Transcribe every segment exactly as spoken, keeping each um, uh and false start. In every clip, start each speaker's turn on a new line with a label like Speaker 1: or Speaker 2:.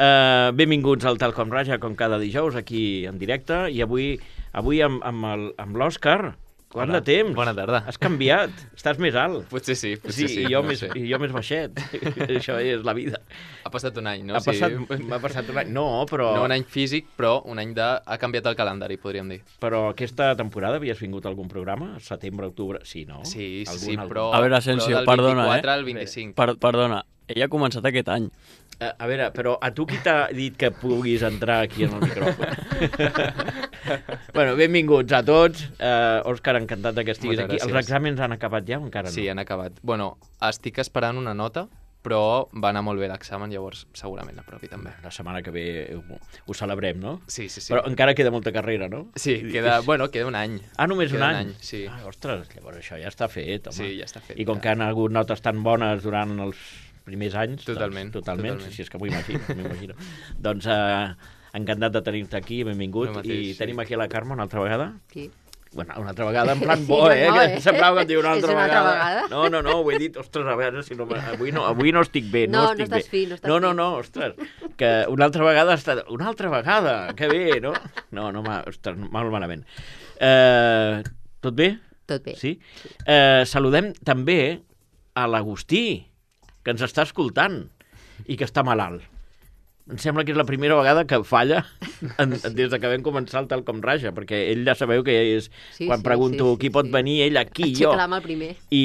Speaker 1: Uh, benvinguts al Tal com Raja, com cada dijous, aquí en directe. I avui, avui amb, amb, el, amb l'Òscar. Quant
Speaker 2: Hola,
Speaker 1: de temps?
Speaker 2: bona tarda.
Speaker 1: Has canviat, estàs més alt.
Speaker 2: Potser sí, potser sí.
Speaker 1: sí. I jo,
Speaker 2: no
Speaker 1: més,
Speaker 2: sé.
Speaker 1: I jo més baixet. Això és la vida.
Speaker 2: Ha passat un any, no?
Speaker 1: Ha passat, m'ha passat un any. No, però...
Speaker 2: No un any físic, però un any de... Ha canviat el calendari, podríem dir.
Speaker 1: Però aquesta temporada havies vingut a algun programa? Setembre, octubre... Sí, no?
Speaker 2: Sí, sí,
Speaker 1: algun,
Speaker 2: sí,
Speaker 1: algun...
Speaker 2: però...
Speaker 3: A veure, Asensio,
Speaker 2: però del
Speaker 3: perdona,
Speaker 2: vint-i-quatre
Speaker 3: eh?
Speaker 2: al vint-i-cinc.
Speaker 3: Per, perdona, ell ha començat aquest any.
Speaker 1: A, a veure, però a tu qui t'ha dit que puguis entrar aquí en el micròfon? Bueno, benvinguts a tots. Uh, Òscar, encantat que estiguis
Speaker 2: Moltes
Speaker 1: aquí.
Speaker 2: gràcies.
Speaker 1: Els exàmens han acabat ja o encara no?
Speaker 2: Sí, han acabat. Bueno, estic esperant una nota, però va anar molt bé l'examen, llavors segurament aprovi també.
Speaker 1: La setmana que ve ho, ho celebrem, no?
Speaker 2: Sí, sí, sí.
Speaker 1: Però encara queda molta carrera, no?
Speaker 2: Sí, queda, bueno, queda un any.
Speaker 1: Ah, només
Speaker 2: queda
Speaker 1: un any?
Speaker 2: Sí.
Speaker 1: Ah, ostres, llavors això ja està fet, home.
Speaker 2: Sí, ja està fet.
Speaker 1: I com
Speaker 2: ja.
Speaker 1: que han hagut notes tan bones durant els primers anys...
Speaker 2: Totalment,
Speaker 1: Doncs, totalment,
Speaker 2: totalment.
Speaker 1: si és que m'ho imagino, m'imagino. Doncs eh, encantat de tenir-te aquí, benvingut.
Speaker 2: El mateix,
Speaker 1: I
Speaker 2: sí.
Speaker 1: tenim aquí a la Carme una altra vegada.
Speaker 4: Sí.
Speaker 1: Bueno, una altra vegada, en plan
Speaker 4: Sí,
Speaker 1: bo,
Speaker 4: no,
Speaker 1: eh?
Speaker 4: no,
Speaker 1: Que
Speaker 4: eh?
Speaker 1: semblava que et diu una
Speaker 4: És
Speaker 1: altra
Speaker 4: una altra
Speaker 1: vegada.
Speaker 4: vegada.
Speaker 1: No, no, no, ho he dit, ostres, a veure si no... Avui no, avui no estic bé, no,
Speaker 4: No, no
Speaker 1: estic
Speaker 4: estàs
Speaker 1: bé.
Speaker 4: fi, no estàs
Speaker 1: no, no,
Speaker 4: fi.
Speaker 1: no, ostres, que una altra vegada està... Una altra vegada, que bé, no? No, no, ma... ostres, mal malament. Eh, tot bé?
Speaker 4: Tot bé.
Speaker 1: Sí? Eh, saludem també a l'Agustí, que ens està escoltant i que està malalt. Em sembla que és la primera vegada que falla en, des de que vam començar el Tal com Raja, perquè ell ja sabeu que és,
Speaker 4: Sí,
Speaker 1: quan
Speaker 4: sí,
Speaker 1: pregunto
Speaker 4: sí, sí,
Speaker 1: qui pot
Speaker 4: sí.
Speaker 1: venir, ell aquí, jo.
Speaker 4: Aixecla-me el primer.
Speaker 1: I,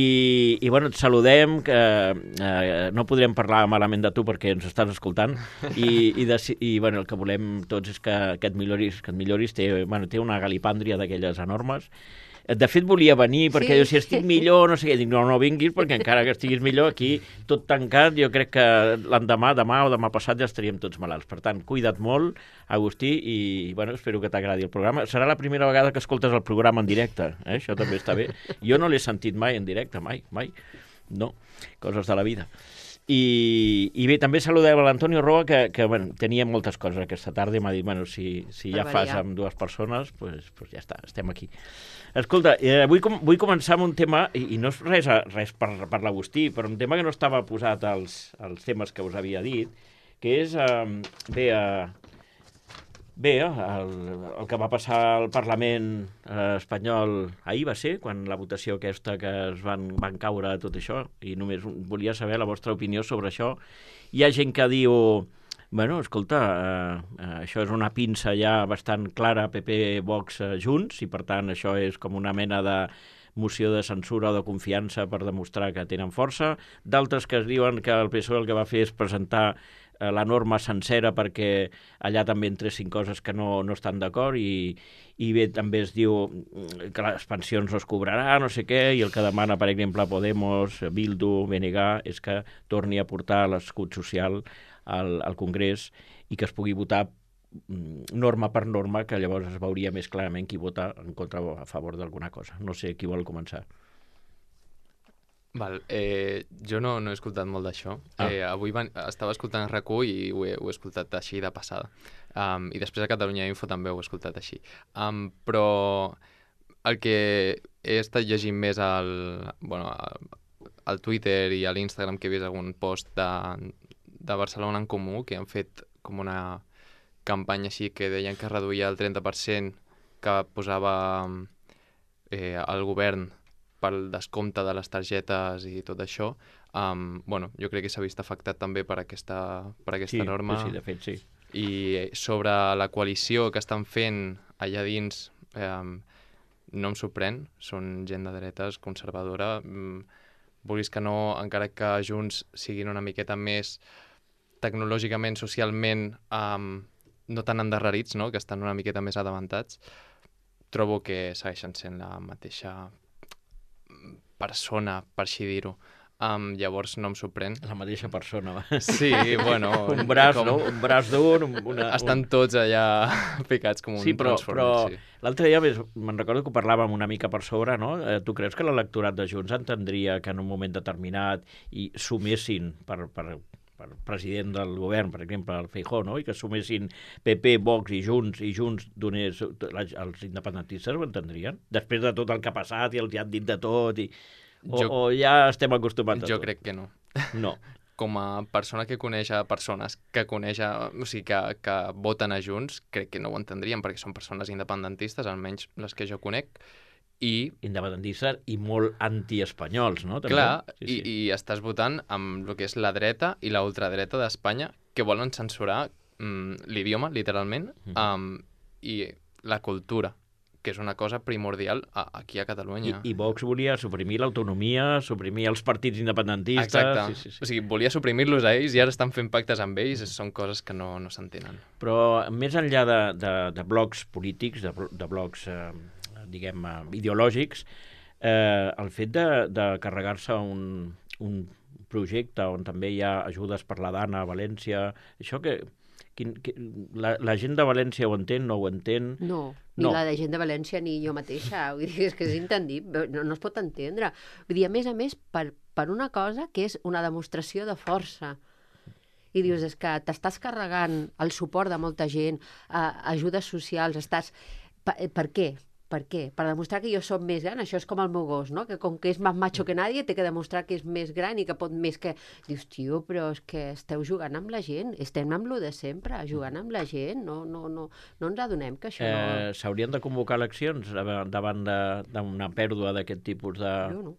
Speaker 1: i bueno, et saludem, que eh, no podrem parlar malament de tu perquè ens estàs escoltant, i, i, de, i bueno, el que volem tots és que, que et milloris, que et milloris té, bueno, té una galipàndria d'aquelles enormes. De fet, volia venir, perquè
Speaker 4: Sí.
Speaker 1: jo, si estic millor, no sé què, dic, no, no vinguis, perquè encara que estiguis millor, aquí, tot tancat, jo crec que l'endemà, demà o demà passat ja estaríem tots malalts. Per tant, cuida't molt, Agustí, i, bueno, espero que t'agradi el programa. Serà la primera vegada que escoltes el programa en directe, eh? Això també està bé. Jo no l'he sentit mai en directe, mai, mai. No, coses de la vida. I, i bé, també saludem a l'Antonio Roa, que, que bueno, tenia moltes coses aquesta tarda i m'ha dit, bueno, si, si ja
Speaker 4: Per
Speaker 1: fas
Speaker 4: variar.
Speaker 1: amb dues persones, pues, pues ja està, estem aquí. Escolta, eh, vull, com, vull començar amb un tema, i, i no és res, a- res per, per l'Agustí, però un tema que no estava posat als, als temes que us havia dit, que és, eh, bé, eh, bé el, el que va passar al Parlament eh, espanyol ahir va ser, quan la votació aquesta que es van, van caure tot això, i només un- volia saber la vostra opinió sobre això. Hi ha gent que diu... Bueno, escolta, eh, eh, això és una pinça ja bastant clara, P P, Vox, eh, Junts, i per tant això és com una mena de moció de censura o de confiança per demostrar que tenen força. D'altres que es diuen que el P S O E el que va fer és presentar eh, la norma sencera perquè allà també entressin coses que no, no estan d'acord, i, i bé, també es diu mm, que les pensions no es cobrarà, no sé què, i el que demana, per exemple, Podemos, Bildu, B N G, és que torni a portar l'escut social al, al Congrés i que es pugui votar mm, norma per norma, que llavors es veuria més clarament qui vota en contra o a favor d'alguna cosa. No sé qui vol començar.
Speaker 2: Val, eh, jo no, no he escoltat molt d'això.
Speaker 1: Ah.
Speaker 2: Eh, avui van, estava escoltant R A C u i ho he, ho he escoltat així de passada. Um, I després a Catalunya Info també ho he escoltat així. Um, però el que he estat llegint més al, bueno, al, al Twitter i a l'Instagram, que he vist algun post de, de Barcelona en Comú, que han fet com una campanya així que deien que reduïa el trenta per cent que posava eh, el govern pel descompte de les targetes i tot això. Um, bueno, jo crec que s'ha vist afectat també per aquesta, per aquesta
Speaker 1: Sí,
Speaker 2: norma.
Speaker 1: sí, de fet, sí.
Speaker 2: I sobre la coalició que estan fent allà dins, eh, no em sorprèn, són gent de dretes, conservadora, mm, vulguis que no, encara que Junts siguin una miqueta més tecnològicament, socialment, um, no tan endarrerits, no? Que estan una miqueta més adavantats, trobo que segueixen sent la mateixa persona, per així dir-ho. Um, llavors no em sorprèn.
Speaker 1: La mateixa persona. va.
Speaker 2: Sí, bueno...
Speaker 1: Un braç,
Speaker 2: com-
Speaker 1: no? Un braç d'un... un- Una,
Speaker 2: Estan tots allà ficats com un
Speaker 1: Sí, però, però
Speaker 2: Transformer, sí.
Speaker 1: l'altre dia més- me'n recordo que ho parlàvem una mica per sobre, no? Eh, tu creus que l'electorat de Junts entendria que en un moment determinat i sumessin per, per, per president del govern, per exemple, el Feijóo, no? I que sumessin P P, Vox i Junts, i Junts donés... Els independentistes ho entendrien? Després de tot el que ha passat i els hi han dit de tot, i... o,
Speaker 2: Jo-
Speaker 1: o ja estem acostumats a
Speaker 2: Jo
Speaker 1: tot?
Speaker 2: crec que no.
Speaker 1: No.
Speaker 2: com a persona que coneix a persones que coneix a, o sigui, que, que voten a Junts, crec que no ho entendrien, perquè són persones independentistes, almenys les que jo conec, i...
Speaker 1: Independentistes i molt antiespanyols, no? També.
Speaker 2: Clar,
Speaker 1: sí,
Speaker 2: i,
Speaker 1: sí.
Speaker 2: i estàs votant amb el que és la dreta i la ultradreta d'Espanya, que volen censurar mm, l'idioma, literalment,
Speaker 1: Mhm.
Speaker 2: um, i la cultura, que és una cosa primordial a, aquí a
Speaker 1: I,
Speaker 2: Catalunya.
Speaker 1: I Vox volia suprimir l'autonomia, suprimir els partits independentistes...
Speaker 2: Exacte.
Speaker 1: Sí, sí, sí.
Speaker 2: O sigui, volia suprimir-los a ells i ara estan fent pactes amb ells, són coses que no, no s'entenen.
Speaker 1: Però més enllà de, de, de blocs polítics, de, blo- de blocs, eh, diguem, eh, ideològics, eh, el fet de, de carregar-se un, un projecte on també hi ha ajudes per la dana a València, això que... Quin, que la, la gent de València ho entén, no ho entén?
Speaker 4: No, ni
Speaker 1: No.
Speaker 4: la de gent de València ni jo mateixa. Vull dir, és que és intendible, no, no es pot entendre. Vull dir, a més a més, per, per una cosa que és una demostració de força. I dius, és que t'estàs carregant el suport de molta gent, eh, ajudes socials, estàs... Per, per què? Per què? Per demostrar que jo som més gran. Això és com el meu gos, no? Que com que és més macho que nadie, té que demostrar que és més gran i que pot més que... Dius, tio, però és que esteu jugant amb la gent. Estem amb lo de sempre, jugant amb la gent. No, no, no, no ens adonem que això no...
Speaker 1: Eh, S'haurien de convocar eleccions davant davant de- d'una pèrdua d'aquest tipus de...
Speaker 4: Jo no.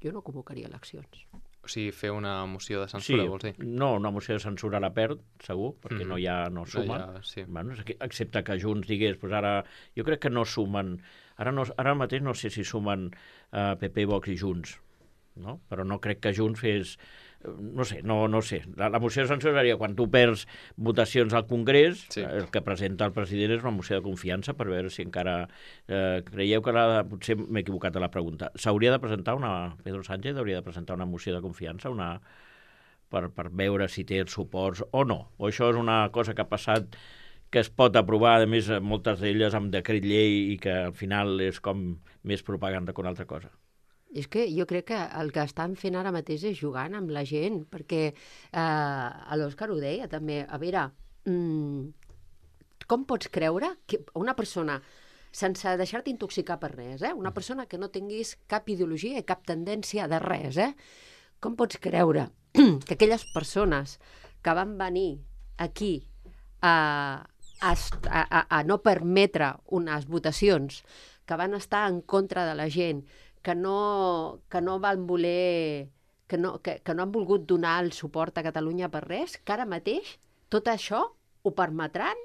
Speaker 4: Jo no convocaria eleccions.
Speaker 2: O sigui, fer una moció de
Speaker 1: Sí,
Speaker 2: censura, vols dir?
Speaker 1: no, una moció de censura la perd, segur, perquè
Speaker 2: Mhm.
Speaker 1: no hi ha, no suma.
Speaker 2: No, ja, sí.
Speaker 1: Bueno, és que- excepte que Junts digués, pues ara, jo crec que no sumen, ara, no, ara mateix no sé si sumen uh, P P, Vox i Junts, no? Però no crec que Junts fes, eh, no sé, no, no sé. La, la moció de censura seria quan tu perds votacions al Congrés,
Speaker 2: Sí.
Speaker 1: el que presenta el president és una moció de confiança per veure si encara... Eh, creieu que la, potser m'he equivocat a la pregunta. S'hauria de presentar una... Pedro Sánchez hauria de presentar una moció de confiança, una per, per veure si té els suports o no. O això és una cosa que ha passat que es pot aprovar, a més, moltes d'elles amb decret llei i que al final és com més propaganda que una altra cosa.
Speaker 4: És que jo crec que el que estan fent ara mateix és jugant amb la gent, perquè eh, l'Òscar ho deia també. A veure, mm, com pots creure que una persona, sense deixar-te intoxicar per res, eh? una persona que no tinguis cap ideologia i cap tendència de res, eh? com pots creure que aquelles persones que van venir aquí a, a, a, a no permetre unes votacions, que van estar en contra de la gent, que no, que no van voler, que no, que, que no han volgut donar el suport a Catalunya per res, que ara mateix tot això ho permetran?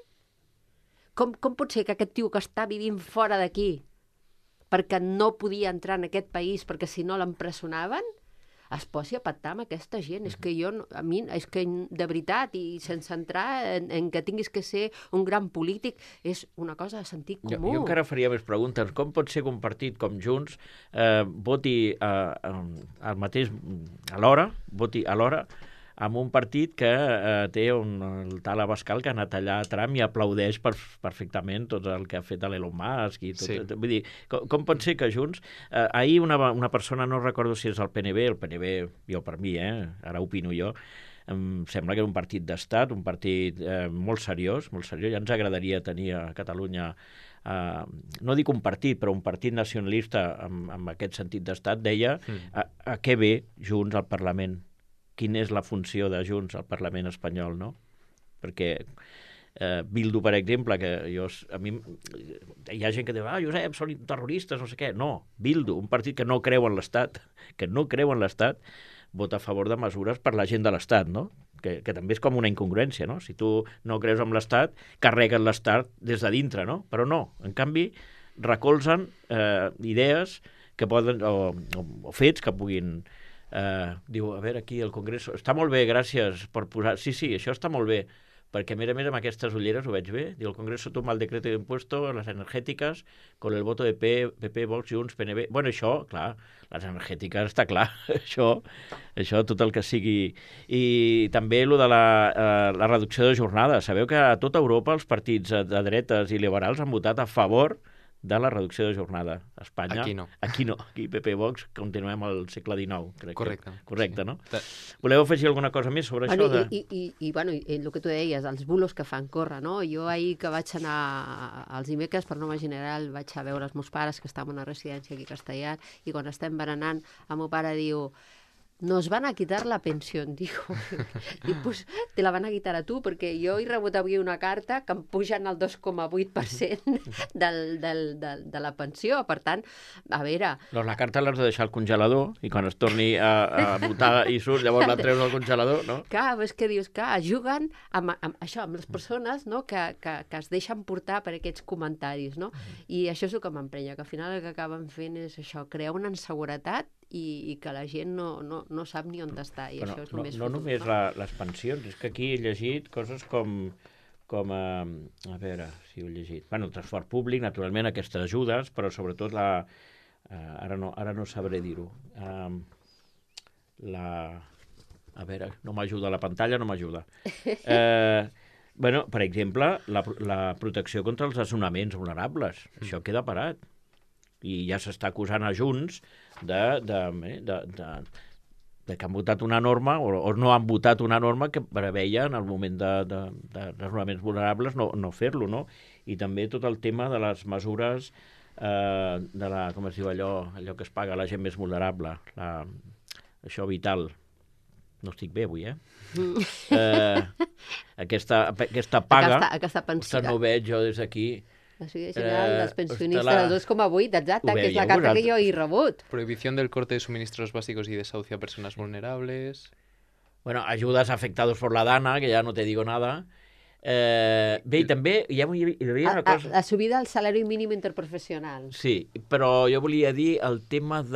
Speaker 4: Com, com pot ser que aquest tio que està vivint fora d'aquí, perquè no podia entrar en aquest país, perquè si no l'empresonaven, es posi a pactar amb aquesta gent? És que jo, no- a mi, és que de veritat, i sense entrar en, en que tinguis que ser un gran polític, és una cosa de sentit
Speaker 1: Jo,
Speaker 4: comú.
Speaker 1: jo encara faria més preguntes. Com pot ser que un partit com Junts eh, voti eh, al mateix, alhora, voti alhora amb un partit que eh, té un, el tal Abascal que ha anat allà a Trump i aplaudeix per, perfectament tot el que ha fet l'Elon Musk i tot,
Speaker 2: Sí.
Speaker 1: tot, vull dir, com, com pot ser que Junts eh, ahir una, una persona, no recordo si és el P N B, el P N B, jo per mi, eh, ara opino jo, em sembla que era un partit d'estat, un partit eh, molt seriós, molt seriós, ja ens agradaria tenir a Catalunya Uh, no dic un partit, però un partit nacionalista amb, amb aquest sentit d'estat, deia
Speaker 2: Mm.
Speaker 1: a, a què ve Junts al Parlament? Quina és la funció de Junts al Parlament espanyol, no? Perquè eh, Bildu, per exemple, que jo, a mi, hi ha gent que diu, ah, Josep, són terroristes, no sé què. No, Bildu, un partit que no creu en l'Estat, que no creu en l'Estat, vota a favor de mesures per la gent de l'Estat, no? Que, que també és com una incongruència, no? Si tu no creus en l'Estat, carreguen l'Estat des de dintre, no? Però no, en canvi, recolzen eh, idees que poden, o, o, o fets que puguin... Eh, diu, a veure, aquí el Congrés... Està molt bé, gràcies per posar... Sí, sí, això està molt bé, perquè a més a més amb aquestes ulleres ho veig bé. Diu, el Congreso toma el decreto de impuesto a las energéticas con el voto de P P, Vox, Junts, P N B... Bueno, això, clar, les energètiques està clar, això, això tot el que sigui... I també lo de la, eh, la reducció de jornada. Sabeu que a tota Europa els partits de dretes i liberals han votat a favor de la reducció de jornada. A Espanya...
Speaker 2: Aquí no.
Speaker 1: Aquí no. Aquí P P Vox continuem al segle dinou, crec.
Speaker 2: Correcte.
Speaker 1: Que, correcte,
Speaker 2: Sí.
Speaker 1: no?
Speaker 2: De-
Speaker 1: Voleu afegir alguna cosa més sobre
Speaker 4: Bueno,
Speaker 1: això? De...
Speaker 4: i, i, i, i, bueno, i el que tu deies, els bulos que fan córrer, no? Jo ahir que vaig anar als dimecres per Nova General vaig a veure els meus pares que estaven a una residència aquí a Castellar i quan estem berenant el meu pare diu nos van a quitar la pensión, dijo. Dic, pues te la van a quitar a tu, perquè jo he rebut avui una carta que em pugen el dos coma vuit per cent del, del, del, de la pensió. Per tant, a veure...
Speaker 1: Doncs la carta l'has de deixar al congelador i quan es torni a, a votar i surt, llavors la treus al congelador, no?
Speaker 4: Clar, és que dius, clar, juguen amb, amb això, amb les persones, no?, que, que, que es deixen portar per aquests comentaris, no? I això és el que m'emprenya, que al final el que acaben fent és això, crear una inseguretat i, i que la gent no, no, no sap ni on està, i
Speaker 1: Però
Speaker 4: això és
Speaker 1: no,
Speaker 4: el més
Speaker 1: no
Speaker 4: fotut,
Speaker 1: només
Speaker 4: no?
Speaker 1: la, les pensions, és que aquí he llegit coses com, com a, a veure si ho he llegit, bueno, el transport públic, naturalment, aquestes ajudes, però sobretot la, uh, ara, no, ara no sabré dir-ho, um, la, a veure, no m'ajuda la pantalla, no m'ajuda. Eh, bueno, per exemple, la, la protecció contra els desnonaments vulnerables, això queda parat. I ja s'està acusant a Junts de, de, de, de, de que han votat una norma o, o no han votat una norma que preveia en el moment de, de, de desnonaments vulnerables no, no fer-lo, no? I també tot el tema de les mesures eh, de la, com es diu allò, allò que es paga a la gent més vulnerable, la, això vital. No estic bé avui, eh? eh aquesta, aquesta paga,
Speaker 4: Aquesta, aquesta pensió.
Speaker 1: no ho veig jo des d'aquí.
Speaker 4: La subida general
Speaker 1: Eh,
Speaker 4: dels pensionistes
Speaker 1: hosti, la-
Speaker 4: del dos coma vuit, exacte,
Speaker 1: Ho
Speaker 4: que és la
Speaker 1: veieu
Speaker 4: carta que
Speaker 1: vosaltres?
Speaker 4: jo he rebut.
Speaker 2: Prohibición del corte de suministros básicos y desahucio a personas vulnerables.
Speaker 1: Bueno, ayudas afectados por la Dana, que ya no te digo nada. Eh, bé, i també hi havia, hi havia
Speaker 4: A,
Speaker 1: una
Speaker 4: a,
Speaker 1: cosa...
Speaker 4: la subida del salari mínim interprofessional.
Speaker 1: Sí, però jo volia dir el tema de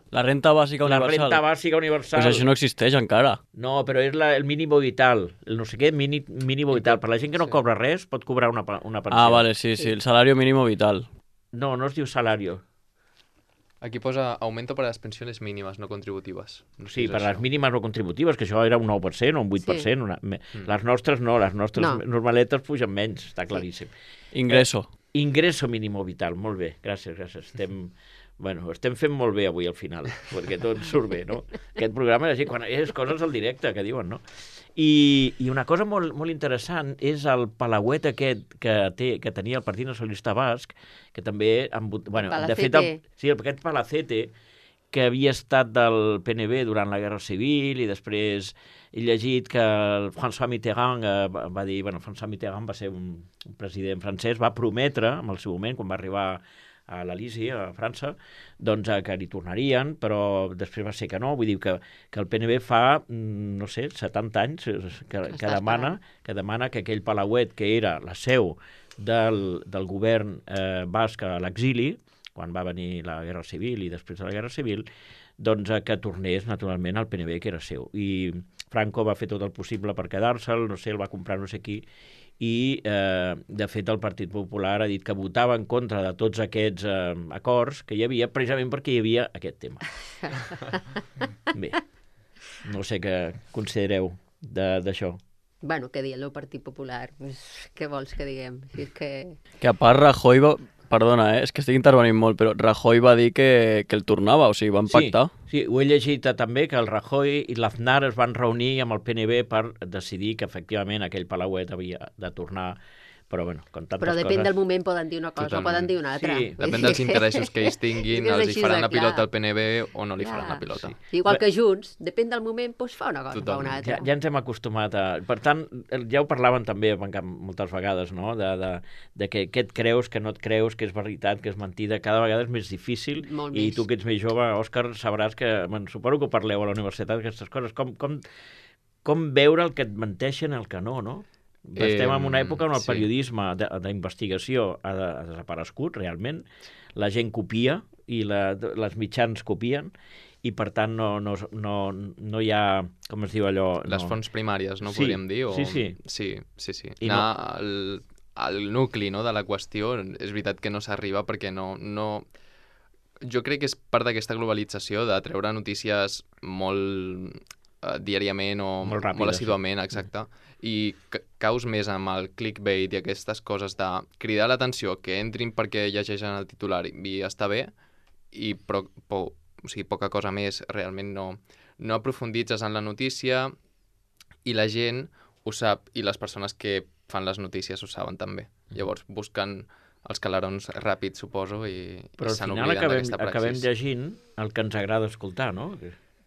Speaker 3: La renta bàsica
Speaker 1: la
Speaker 3: universal.
Speaker 1: renta bàsica universal.
Speaker 3: Pues això no existeix encara.
Speaker 1: No, però és la, el mínimo vital, el no sé què, mini, mínimo vital. Per la gent que no
Speaker 2: Sí.
Speaker 1: cobra res, pot cobrar una, pa- una pensió.
Speaker 3: Ah, vale, sí, sí, el salario mínimo vital.
Speaker 1: No, no es diu salario.
Speaker 2: Aquí posa aumento para las pensiones mínimas no contributivas. No sé
Speaker 1: Sí,
Speaker 2: si és
Speaker 1: per les
Speaker 2: això.
Speaker 1: mínimes no contributives, que això era un nou per cent o un vuit per cent.
Speaker 4: Sí.
Speaker 1: Una... me- Les nostres no, les nostres
Speaker 4: No.
Speaker 1: normaletes pugen menys, està claríssim.
Speaker 3: Ingreso.
Speaker 1: Ingreso mínimo vital, molt bé, gràcies, gràcies. Estem, bueno, estem fent molt bé avui al final, perquè tot surt bé, no? Aquest programa és així, quan és coses al directe que diuen, no? I, i una cosa molt, molt interessant és el palauet aquest que, té, que tenia el Partit Nacionalista Basc, que també... Han, vot- bueno, de fet, el, sí, aquest Palacete, que havia estat del P N B durant la Guerra Civil i després he llegit que el François Mitterrand eh, va va dir... Bueno, François Mitterrand va ser un, un president francès, va prometre, en el seu moment, quan va arribar a l'Elisi, a França, doncs eh, que li tornarien, però després va ser que no. Vull dir que, que el P N B fa, mm, no sé, setanta anys eh, que, que,
Speaker 4: Està
Speaker 1: demana, que demana que aquell palauet que era la seu del, del govern eh, basc a l'exili, quan va venir la Guerra Civil i després de la Guerra Civil, doncs eh, que tornés naturalment al P N B, que era seu. I Franco va fer tot el possible per quedar-se'l, no sé, el va comprar no sé qui, i eh, de fet el Partit Popular ha dit que votava en contra de tots aquests eh, acords que hi havia precisament perquè hi havia aquest tema. Bé, no sé què considereu de- d'això.
Speaker 4: Bueno, què dir, el Partit Popular? Pues, què vols que diguem? Si és que...
Speaker 3: Que a part Rajoy va... Perdona, eh? és que estic intervenint molt, però Rajoy va dir que, que el tornava, o sigui, van pactar.
Speaker 1: Sí, sí, ho he llegit eh, també, que el Rajoy i l'Aznar es van reunir amb el P N B per decidir que efectivament aquell palauet havia de tornar, però bueno, com tantes
Speaker 4: Però depèn
Speaker 1: coses...
Speaker 4: del moment, poden dir una cosa
Speaker 2: Totalment.
Speaker 4: o poden dir una altra.
Speaker 1: Sí,
Speaker 2: Depèn dels interessos que ells tinguin,
Speaker 4: És que és
Speaker 2: els hi
Speaker 4: així
Speaker 2: faran
Speaker 4: de
Speaker 2: la pilota
Speaker 4: clar.
Speaker 2: al P N B o no li faran
Speaker 4: Clar.
Speaker 2: la pilota.
Speaker 1: Sí.
Speaker 4: Igual que Junts, depèn del moment, doncs fa una cosa o fa
Speaker 2: Totalment.
Speaker 4: una altra.
Speaker 1: Ja, ja ens hem acostumat a... Per tant, ja ho parlaven també moltes vegades, no? De, de, de que què et creus, que no et creus, que és veritat, que és mentida. Cada vegada és més difícil.
Speaker 4: Molt
Speaker 1: I
Speaker 4: més.
Speaker 1: tu que ets més jove, Òscar, sabràs que... Bueno, suposo que ho parleu a la universitat, aquestes coses. Com, com, com veure el que et menteixen i el que no, no? Estem en una època on el
Speaker 2: sí.
Speaker 1: periodisme de- d'investigació ha, de, ha desaparegut, realment. La gent copia i la, les mitjans copien i, per tant, no, no, no, no hi ha, com es diu allò...
Speaker 2: Les
Speaker 1: no.
Speaker 2: fonts primàries, no
Speaker 1: Sí,
Speaker 2: podríem dir? O...
Speaker 1: sí, sí.
Speaker 2: Sí, sí, sí.
Speaker 1: I
Speaker 2: Anar al, al nucli, no?, de la qüestió, és veritat que no s'arriba perquè no... no... Jo crec que és part d'aquesta globalització de treure notícies molt eh, diàriament o
Speaker 1: Molt ràpides,
Speaker 2: molt
Speaker 1: sí.
Speaker 2: assíduament, exacte, i ca- caus més amb el clickbait i aquestes coses de cridar l'atenció, que entrin perquè llegeixen el titular i està bé, i però, po, o sigui, poca cosa més, realment no, no aprofunditzes en la notícia i la gent ho sap i les persones que fan les notícies ho saben també. Llavors busquen els calarons ràpids, suposo, i,
Speaker 1: Però
Speaker 2: i
Speaker 1: al
Speaker 2: se
Speaker 1: final
Speaker 2: n'obliden
Speaker 1: acabem,
Speaker 2: d'aquesta
Speaker 1: acabem
Speaker 2: praxis.
Speaker 1: llegint el que ens agrada escoltar, no?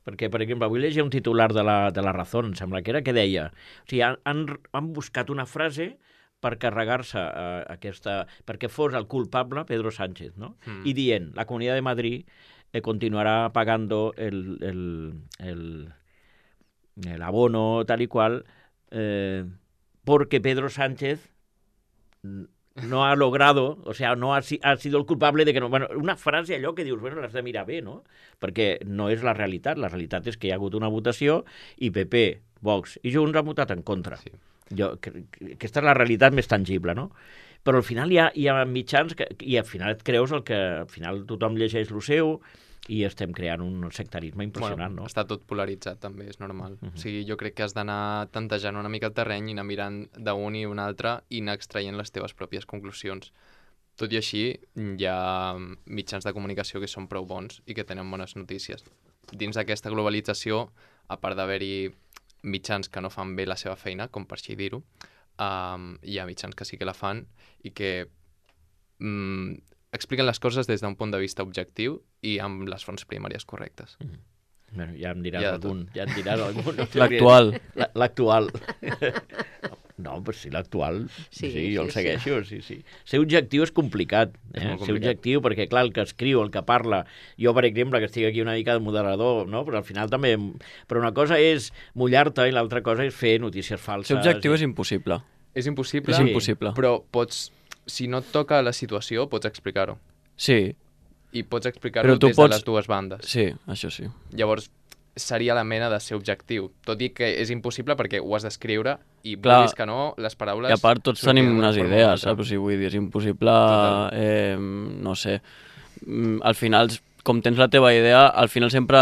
Speaker 1: perquè, per exemple, avui llegia un titular de la, de la Razón, em sembla que era, que deia, o sigui, han, han, han buscat una frase per carregar-se eh, aquesta... perquè fos el culpable Pedro Sánchez, ¿no? Mm. I dient, la Comunidad de Madrid eh, continuará pagando el, el, el, el abono tal y cual eh, porque Pedro Sánchez no ha logrado, o sea, no ha, ha sido el culpable de que no... Bueno, una frase allò que dius, bueno, l'has de mirar bé, no? Perquè no és la realitat. La realitat és que hi ha hagut una votació i P P, Vox i Junts han votat en contra. Sí. Jo, que, que, aquesta és la realitat més tangible, no? Però al final hi ha, hi ha mitjans que, i al final et creus el que... Al final tothom llegeix el seu i estem creant un sectarisme impressionant,
Speaker 2: bueno,
Speaker 1: no?
Speaker 2: Està tot polaritzat, també, és normal. Uh -huh. O sigui, jo crec que has d'anar tantejant una mica el terreny i anar mirant d'un i un altre i anar extraient les teves pròpies conclusions. Tot i així, hi ha mitjans de comunicació que són prou bons i que tenen bones notícies. Dins d'aquesta globalització, a part d'haver-hi mitjans que no fan bé la seva feina, com per així dir-ho, um, hi ha mitjans que sí que la fan i que um, expliquen les coses des d'un punt de vista objectiu i amb les fonts primàries correctes.
Speaker 1: Mm. Bueno, ja em diràs
Speaker 2: Ja
Speaker 1: algun. Ja em diràs algun. No
Speaker 3: L'actual.
Speaker 1: La- L'actual. No, però sí, l'actual, sí,
Speaker 4: Sí,
Speaker 1: sí, jo
Speaker 4: sí,
Speaker 1: el segueixo, sí, sí. Ser objectiu és complicat,
Speaker 2: És
Speaker 1: eh?
Speaker 2: molt
Speaker 1: Ser
Speaker 2: complicat.
Speaker 1: objectiu, perquè clar, el que escriu, el que parla, jo, per exemple, que estic aquí una mica de moderador, no? Però al final també... Però una cosa és mullar-te i l'altra cosa és fer notícies falses.
Speaker 3: Ser objectiu és impossible.
Speaker 2: És impossible,
Speaker 3: És impossible.
Speaker 2: però pots, si no et toca la situació, pots explicar-ho.
Speaker 3: Sí,
Speaker 2: I pots explicar-ho
Speaker 3: Però tu
Speaker 2: des
Speaker 3: pots-
Speaker 2: de les dues bandes.
Speaker 3: sí, això sí.
Speaker 2: Llavors, seria la mena de ser objectiu. Tot i que és impossible perquè ho has d'escriure i
Speaker 3: Clar.
Speaker 2: vulguis que no, les paraules...
Speaker 3: I a part tots
Speaker 2: sortiran
Speaker 3: tenim
Speaker 2: d'una
Speaker 3: unes
Speaker 2: forma o
Speaker 3: idees,
Speaker 2: altra.
Speaker 3: saps? O sigui, vull dir, és impossible,
Speaker 2: Total.
Speaker 3: eh, no sé, mm, al final, com tens la teva idea, al final sempre,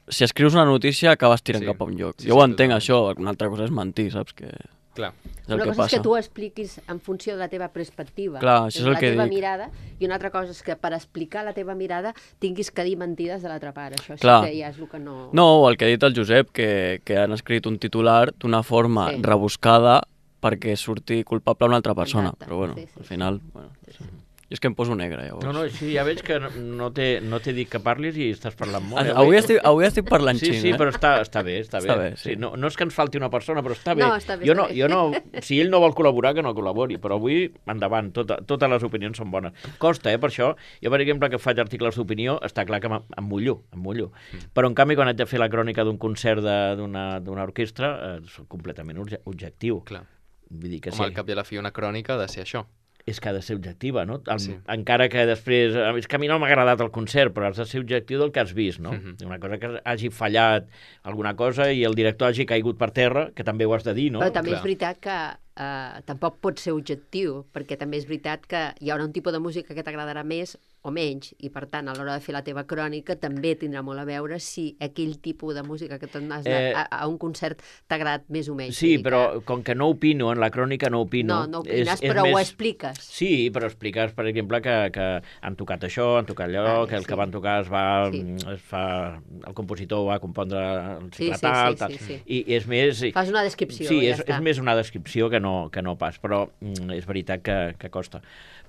Speaker 3: si escrius una notícia, acabes tirant
Speaker 2: Sí.
Speaker 3: cap a un lloc.
Speaker 2: Sí,
Speaker 3: jo
Speaker 2: sí,
Speaker 3: ho entenc,
Speaker 2: totalment.
Speaker 3: això, una altra cosa és mentir, saps? Que
Speaker 2: Clar.
Speaker 3: és el
Speaker 4: Una
Speaker 3: que
Speaker 4: cosa
Speaker 3: passa.
Speaker 4: és que tu expliquis en funció de la teva perspectiva,
Speaker 3: Clar, això és el
Speaker 4: la
Speaker 3: que
Speaker 4: teva
Speaker 3: dic.
Speaker 4: mirada, i una altra cosa és que per explicar la teva mirada tinguis que dir mentides de l'altra part. Això
Speaker 3: Clar.
Speaker 4: sí que ja és el que no...
Speaker 3: No, o el que ha dit el Josep, que, que han escrit un titular d'una forma
Speaker 4: Sí.
Speaker 3: rebuscada perquè surti culpable una altra persona.
Speaker 4: Exacte.
Speaker 3: Però bueno,
Speaker 4: Sí, sí,
Speaker 3: al
Speaker 4: sí.
Speaker 3: final... Bueno,
Speaker 4: Sí, sí.
Speaker 3: jo és que em poso negre, llavors.
Speaker 1: No, no, sí, ja veig que no, no t'he no t'he dit que parlis i estàs parlant molt. eh?
Speaker 3: Avui estic, avui estic parlant
Speaker 1: Sí,
Speaker 3: xin,
Speaker 1: sí,
Speaker 3: eh?
Speaker 1: però està, està bé, està bé.
Speaker 3: Està bé, sí.
Speaker 1: no, no és que ens falti una persona, però està bé.
Speaker 4: No, està bé,
Speaker 1: jo
Speaker 4: està
Speaker 1: no,
Speaker 4: bé.
Speaker 1: jo no, si ell no vol col·laborar, que no col·labori, però avui, endavant, tota, totes les opinions són bones. Costa, eh, per això. Jo, per exemple, que faig articles d'opinió, està clar que em, em mullo, em mullo. Mm. Però, en canvi, quan haig de fer la crònica d'un concert de- d'una d'una orquestra, eh, soc completament obje- objectiu.
Speaker 2: Clar.
Speaker 1: Vull dir que
Speaker 2: Com
Speaker 1: sí.
Speaker 2: al cap i a la fi una crònica ha de ser això.
Speaker 1: És que ha de ser objectiva, no? El,
Speaker 2: Sí.
Speaker 1: Encara que després... És que a mi no m'ha agradat el concert, però has de ser objectiu del que has vist, no?
Speaker 2: Mhm.
Speaker 1: Una cosa que hagi fallat alguna cosa i el director hagi caigut per terra, que també ho has de dir, no?
Speaker 4: Però també
Speaker 2: Clar.
Speaker 4: és veritat que eh, tampoc pot ser objectiu, perquè també és veritat que hi haurà un tipus de música que t'agradarà més o menys, i per tant, a l'hora de fer la teva crònica també tindrà molt a veure si aquell tipus de música que tu has anat
Speaker 1: Eh,
Speaker 4: a, a un concert t'ha agradat més o menys.
Speaker 1: Sí,
Speaker 4: Vull dir
Speaker 1: però
Speaker 4: que...
Speaker 1: com que no opino, en la crònica no opino...
Speaker 4: No, no opines, però ho expliques.
Speaker 1: Sí, però expliques, per exemple, que, que han tocat això, han tocat allò,
Speaker 4: Vale,
Speaker 1: que el
Speaker 4: sí.
Speaker 1: que van tocar es va...
Speaker 4: Sí.
Speaker 1: Es fa, el compositor va compondre el
Speaker 4: Sí,
Speaker 1: cicle
Speaker 4: sí,
Speaker 1: tal,
Speaker 4: sí,
Speaker 1: tal.
Speaker 4: sí, sí.
Speaker 1: I, i és més...
Speaker 4: Fas una descripció,
Speaker 1: Sí,
Speaker 4: ja
Speaker 1: és,
Speaker 4: està.
Speaker 1: és més una descripció que no, que no pas, però mm, és veritat que, que costa.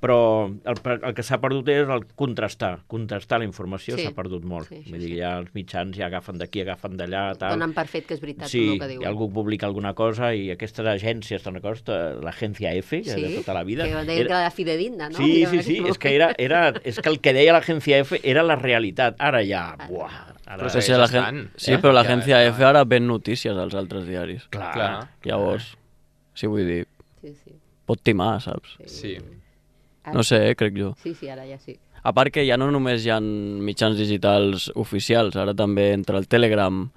Speaker 1: Però el, el que s'ha perdut és el contrastar. Contrastar la informació
Speaker 4: Sí.
Speaker 1: s'ha perdut molt.
Speaker 4: Sí, sí,
Speaker 1: Vull dir,
Speaker 4: sí.
Speaker 1: ja els mitjans ja agafen d'aquí, agafen d'allà, tal.
Speaker 4: Donen per fet que és veritat
Speaker 1: Sí,
Speaker 4: el que diuen.
Speaker 1: i algú publica alguna cosa i aquestes agències, te'n recordes? L'agència F, que
Speaker 4: Sí,
Speaker 1: de tota la vida.
Speaker 4: que deien que era fidedigna, no?
Speaker 1: Sí,
Speaker 4: Era
Speaker 1: sí, sí,
Speaker 4: aquell
Speaker 1: és que, era, era, és que el que deia l'agència F era la realitat. Ara ja, buah, ara...
Speaker 2: Però
Speaker 3: Sí,
Speaker 2: segueix
Speaker 3: sí, la
Speaker 2: estant,
Speaker 3: gent... sí
Speaker 2: eh?
Speaker 3: però
Speaker 2: Ja,
Speaker 3: l'agència
Speaker 2: ja.
Speaker 3: F ara ven notícies als altres diaris.
Speaker 1: Clar,
Speaker 2: Clar.
Speaker 3: Llavors, sí, vull dir,
Speaker 4: Sí, sí.
Speaker 3: pot timar, saps?
Speaker 2: Sí.
Speaker 4: Ara-
Speaker 3: No sé, eh, crec jo.
Speaker 4: Sí, sí, ara ja sí.
Speaker 3: A part que ja no només hi ha mitjans digitals oficials, ara també entre el Telegram,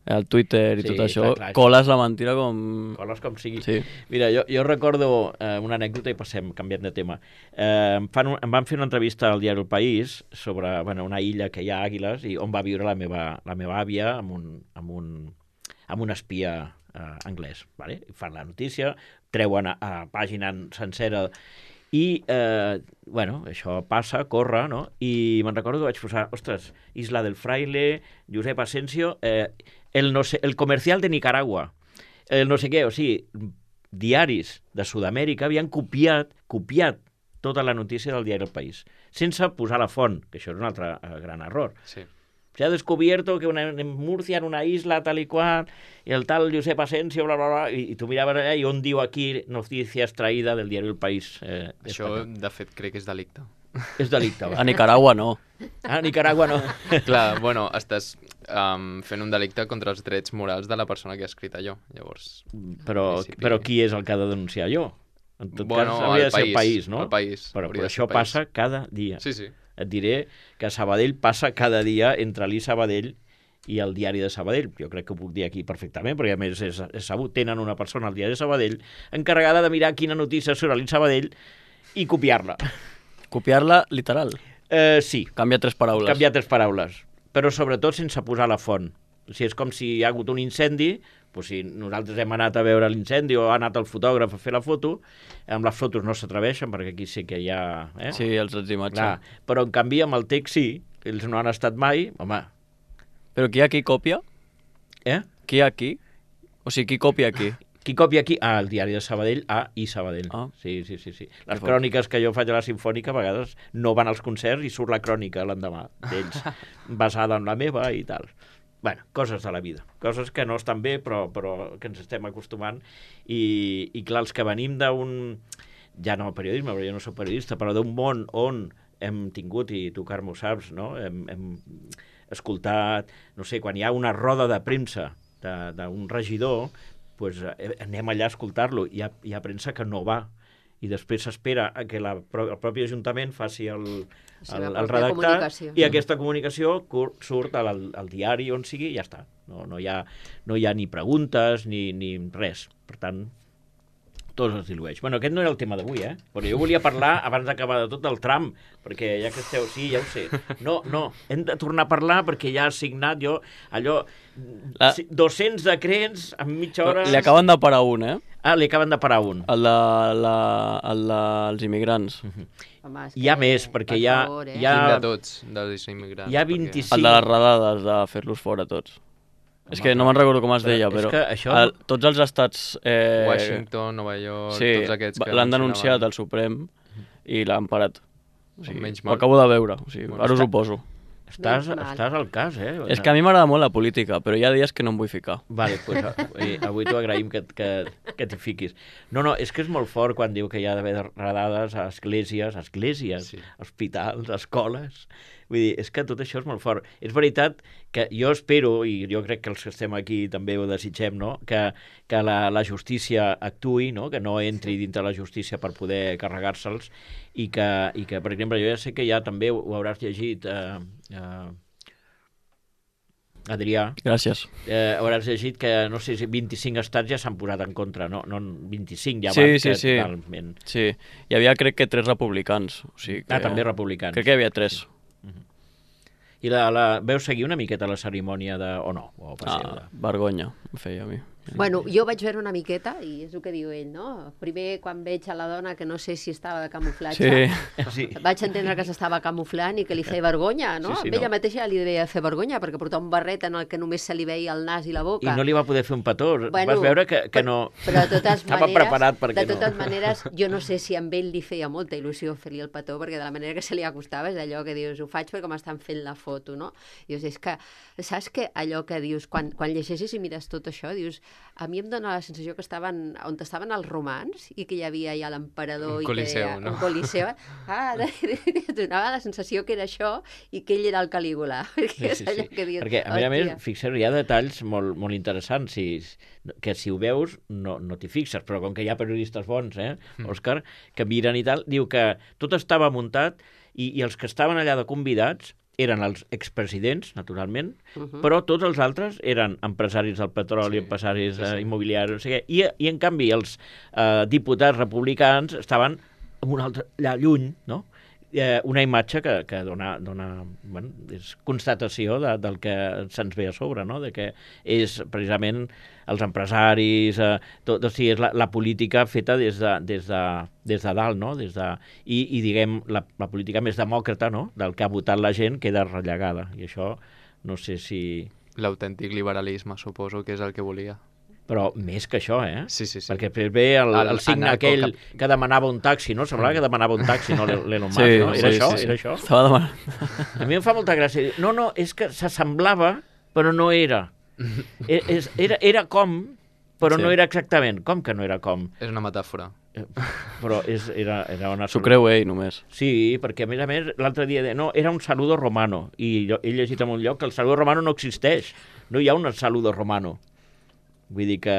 Speaker 3: el Twitter i
Speaker 1: Sí,
Speaker 3: tot això,
Speaker 1: clar, clar,
Speaker 3: coles la mentira com...
Speaker 1: coles com sigui.
Speaker 3: Sí.
Speaker 1: Mira, jo, jo recordo eh, una anècdota i passem, canviant de tema. Eh, em, fan un, em van fer una entrevista al diari El País sobre bueno, una illa que hi ha Àguiles i on va viure la meva, la meva àvia amb un, amb un, amb un espia eh, anglès. Vale? I fan la notícia, treuen a, a pàgina sencera i, eh, bueno, això passa, corre, no? I me'n recordo que vaig posar, ostres, Isla del Fraile, Josep Asensio, eh, el, no sé, el comercial de Nicaragua, el no sé què, o sigui, diaris de Sud-amèrica havien copiat, copiat tota la notícia del diari El País, sense posar la font, que això és un altre eh, gran error.
Speaker 2: Sí.
Speaker 1: O se ha descubierto que una, en Murcia, en una isla, tal i qual, i el tal Josep Asensio, bla, bla, bla, i, i tu miraves allà i on diu aquí notícia extraïda del diari El País. Eh,
Speaker 2: Això,
Speaker 1: espanyol.
Speaker 2: de fet, crec que és delicte.
Speaker 1: És delicte, va.
Speaker 3: A Nicaragua no.
Speaker 1: Ah, Nicaragua no.
Speaker 2: Clar, bueno, estàs um, fent un delicte contra els drets morals de la persona que ha escrit allò. Llavors,
Speaker 1: Però,
Speaker 2: principi-
Speaker 1: però qui és el que ha de denunciar allò? En tot
Speaker 2: Bueno,
Speaker 1: cas, hauria
Speaker 2: el
Speaker 1: de ser el
Speaker 2: país,
Speaker 1: país, no?
Speaker 2: el país,
Speaker 1: Però,
Speaker 2: hauria
Speaker 1: però
Speaker 2: de ser
Speaker 1: això
Speaker 2: el país.
Speaker 1: passa cada dia.
Speaker 2: Sí, sí.
Speaker 1: Et diré que a Sabadell passa cada dia entre l'I Sabadell i el diari de Sabadell. Jo crec que ho puc dir aquí perfectament, perquè a més és, és sabut, tenen una persona al diari de Sabadell encarregada de mirar quina notícia surt a l'I Sabadell i copiar-la.
Speaker 3: Copiar-la literal.
Speaker 1: Eh, sí,
Speaker 3: Canvia tres paraules.
Speaker 1: canviar tres paraules, però sobretot sense posar la font. O sigui, és com si hi ha hagut un incendi, doncs si nosaltres hem anat a veure l'incendi o ha anat el fotògraf a fer la foto, amb les fotos no s'atreveixen, perquè aquí sí que hi ha... Eh?
Speaker 3: Sí, els drets d'imatge.
Speaker 1: Clar, però en canvi amb el text sí, ells no han estat mai, home,
Speaker 3: Però qui hi ha qui copia?
Speaker 1: eh?
Speaker 3: Qui hi ha qui? O sigui, qui copia qui?
Speaker 1: Qui copia aquí? Ah, el diari de Sabadell, A i Sabadell.
Speaker 3: Ah.
Speaker 1: Sí, sí, sí, sí. Les
Speaker 3: Que
Speaker 1: cròniques que jo faig a la Simfònica a vegades no van als concerts i surt la crònica l'endemà d'ells, basada en la meva i tal. Bueno, coses de la vida, coses que no estan bé però, però que ens estem acostumant i, i clar, els que venim d'un, ja no periodisme, però jo no soc periodista, però d'un món on hem tingut, i tu Carme ho saps, no? hem, hem escoltat, no sé, quan hi ha una roda de premsa de- d'un regidor, pues, eh, anem allà a escoltar-lo. Hi ha, hi ha premsa que no va i després s'espera a que la, pro- el propi Ajuntament faci el,
Speaker 4: La seva
Speaker 1: el, el
Speaker 4: pròpia
Speaker 1: redactat
Speaker 4: comunicació.
Speaker 1: i aquesta comunicació cur- surt al, al diari on sigui i ja està. No, no, hi ha, no hi ha ni preguntes ni, ni res. Per tant, tot es dilueix. Bueno, aquest no era el tema d'avui, eh? Però jo volia parlar, abans d'acabar de tot, del tram, perquè ja que esteu... Sí, ja ho sé. No, no, hem de tornar a parlar perquè ja ha signat jo allò...
Speaker 3: La-
Speaker 1: si- dos-cents decrets en mitja hora...
Speaker 3: Li acaben de parar un, eh?
Speaker 1: Ah, li acaben de parar un.
Speaker 3: El de, la, el dels immigrants.
Speaker 4: Home, és
Speaker 1: Hi ha
Speaker 4: que,
Speaker 1: més, perquè
Speaker 4: per
Speaker 1: hi ha-
Speaker 4: favor, eh?
Speaker 1: hi ha-
Speaker 2: Quin de tots, dels immigrants?
Speaker 1: Hi ha
Speaker 2: perquè-
Speaker 1: vint-i-cinc.
Speaker 3: El de les redades, de fer-los fora tots.
Speaker 1: Home,
Speaker 3: És que no me'n recordo com es
Speaker 1: però
Speaker 3: deia,
Speaker 1: és
Speaker 3: però
Speaker 1: que això-
Speaker 3: el, tots els estats... Eh,
Speaker 2: Washington, Nova York,
Speaker 3: sí,
Speaker 2: tots aquests que...
Speaker 3: l'han denunciat
Speaker 2: mencionaven.
Speaker 3: al Suprem i l'han parat. O sigui,
Speaker 2: Menys
Speaker 3: ho
Speaker 2: mal.
Speaker 3: acabo de veure, o sigui,
Speaker 2: Bueno,
Speaker 3: ara us
Speaker 1: està-
Speaker 3: ho poso.
Speaker 1: Estàs,
Speaker 4: Menys mal.
Speaker 1: estàs al cas, eh?
Speaker 3: És que a mi m'agrada molt la política, però hi ha dies que no em vull ficar.
Speaker 1: Vale, pues, avui, avui t'ho agraïm que, que, que t'hi fiquis. No, no, és que és molt fort quan diu que hi ha d'haver redades a esglésies, esglésies,
Speaker 2: Sí.
Speaker 1: hospitals, escoles... Vull dir, és que tot això és molt fort. És veritat que jo espero, i jo crec que els que estem aquí també ho desitgem, no? que, que la, la justícia actuï, no? Que no entri dintre la justícia per poder carregar-se'ls, i que, i que, per exemple, jo ja sé que ja també ho, ho hauràs llegit... Eh, eh, Adrià,
Speaker 3: Gràcies.
Speaker 1: eh, hauràs llegit que, no sé si vint-i-cinc estats ja s'han posat en contra, no? No vint-i-cinc ja
Speaker 3: Sí,
Speaker 1: van,
Speaker 3: sí,
Speaker 1: que
Speaker 3: sí.
Speaker 1: totalment...
Speaker 3: Sí, hi havia crec que tres republicans. O sigui que...
Speaker 1: Ah, també republicans.
Speaker 3: Crec que hi havia tres.
Speaker 1: I la, la, veu seguir una miqueta la cerimònia de... o no? O passeu
Speaker 3: Ah,
Speaker 1: de...
Speaker 3: vergonya, em feia a mi.
Speaker 4: Bueno, jo vaig veure una miqueta, i és el que diu ell, no? Primer, quan veig a la dona, que no sé si estava de camuflatge,
Speaker 3: Sí,
Speaker 1: Sí.
Speaker 4: vaig entendre que s'estava camuflant i que li feia vergonya, no?
Speaker 1: Sí, sí,
Speaker 4: Amb ella
Speaker 1: no.
Speaker 4: mateixa li devia fer vergonya, perquè portava un barret en el que només se li veia el nas i la boca.
Speaker 1: I no li va poder fer un petó.
Speaker 4: Bueno,
Speaker 1: Vas veure que, que
Speaker 4: però-
Speaker 1: no...
Speaker 4: Però de totes
Speaker 1: Estava
Speaker 4: maneres,
Speaker 1: preparat perquè
Speaker 4: de totes
Speaker 1: no.
Speaker 4: maneres, jo no sé si amb ell li feia molta il·lusió fer-li el petó, perquè de la manera que se li acostava és allò que dius, ho faig perquè m'estan fent la foto, no? Dius, és que, saps que allò que dius, quan, quan llegeixes i mires tot això, dius, a mi em dóna la sensació que estaven on estaven els romans i que hi havia ja l'emperador
Speaker 2: Un
Speaker 4: i
Speaker 2: coliseu,
Speaker 4: que
Speaker 2: no?
Speaker 4: un coliseu. Ah, donava la sensació que era això i que ell era el Calígula. Perquè és allò que dius,
Speaker 1: Perquè, a més a més,
Speaker 4: hòstia.
Speaker 1: fixeu, hi ha detalls molt, molt interessants, si, que si ho veus no, no t'hi fixes, però com que hi ha periodistes bons, eh, Òscar, que miren i tal, diu que tot estava muntat i, i els que estaven allà de convidats eren els expresidents, naturalment, uh -huh. però tots els altres eren empresaris del petroli,
Speaker 2: Sí,
Speaker 1: empresaris
Speaker 2: sí, sí.
Speaker 1: eh, immobiliaris, no sé què, i, i en canvi els eh, diputats republicans estaven en un altre, allà lluny, no? Eh, una imatge que, que dona, dona bueno, és constatació de, del que se'ns ve a sobre, no? De que és precisament els empresaris, eh, tot, o sigui, és la, la política feta des de, des de, des de dalt, no? Des de, i, i diguem, la, la política més demòcrata, no? Del que ha votat la gent queda rellegada, i això no sé si...
Speaker 2: L'autèntic liberalisme, suposo que és el que volia.
Speaker 1: Però més que això, eh?
Speaker 2: Sí, sí, sí.
Speaker 1: Perquè després ve el,
Speaker 2: El-
Speaker 1: el signe
Speaker 2: el narco
Speaker 1: aquell
Speaker 2: cap-
Speaker 1: que demanava un taxi, no? Semblava que demanava un taxi, no? L'Elon Musk,
Speaker 3: Sí,
Speaker 1: no? Era
Speaker 3: sí,
Speaker 1: això?
Speaker 3: sí, sí.
Speaker 1: Era això?
Speaker 3: Estava demanant...
Speaker 1: A mi em fa molta gràcia. No, no, és que s'assemblava, però no era. E- és, era, era com, però
Speaker 3: Sí.
Speaker 1: no era exactament. Com que no era com?
Speaker 2: És una metàfora.
Speaker 1: Eh, Però és, era, era una...
Speaker 3: S'ho creu ell, només.
Speaker 1: Sí, perquè a més a més l'altre dia de... no, era un saludo romano i jo he llegit en un lloc que el saludo romano no existeix, no hi ha un saludo romano, vull dir que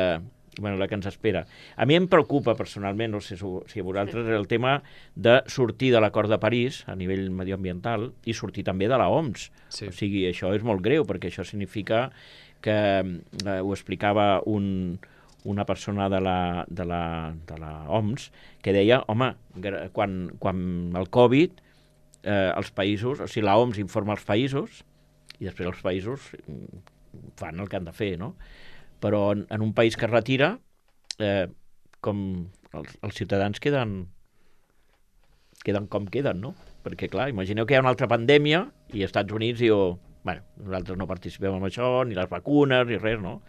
Speaker 1: bueno, la que ens espera. A mi em preocupa personalment, no sé si a vosaltres, el tema de sortir de l'acord de París a nivell medioambiental i sortir també de la O M S.
Speaker 2: Sí.
Speaker 1: O sigui, això és molt greu perquè això significa que eh, ho explicava un, una persona de la, de, la, de la O M S que deia, home, gra- quan, quan el Covid, eh, els països, o sigui, la O M S informa els països i després els països mm, fan el que han de fer, no? Però en, en un país que es retira, eh, com els, els ciutadans queden, queden com queden, no? Perquè, clar, imagineu que hi ha una altra pandèmia i els Estats Units diu, bueno, nosaltres no participem en això, ni les vacunes, ni res, no?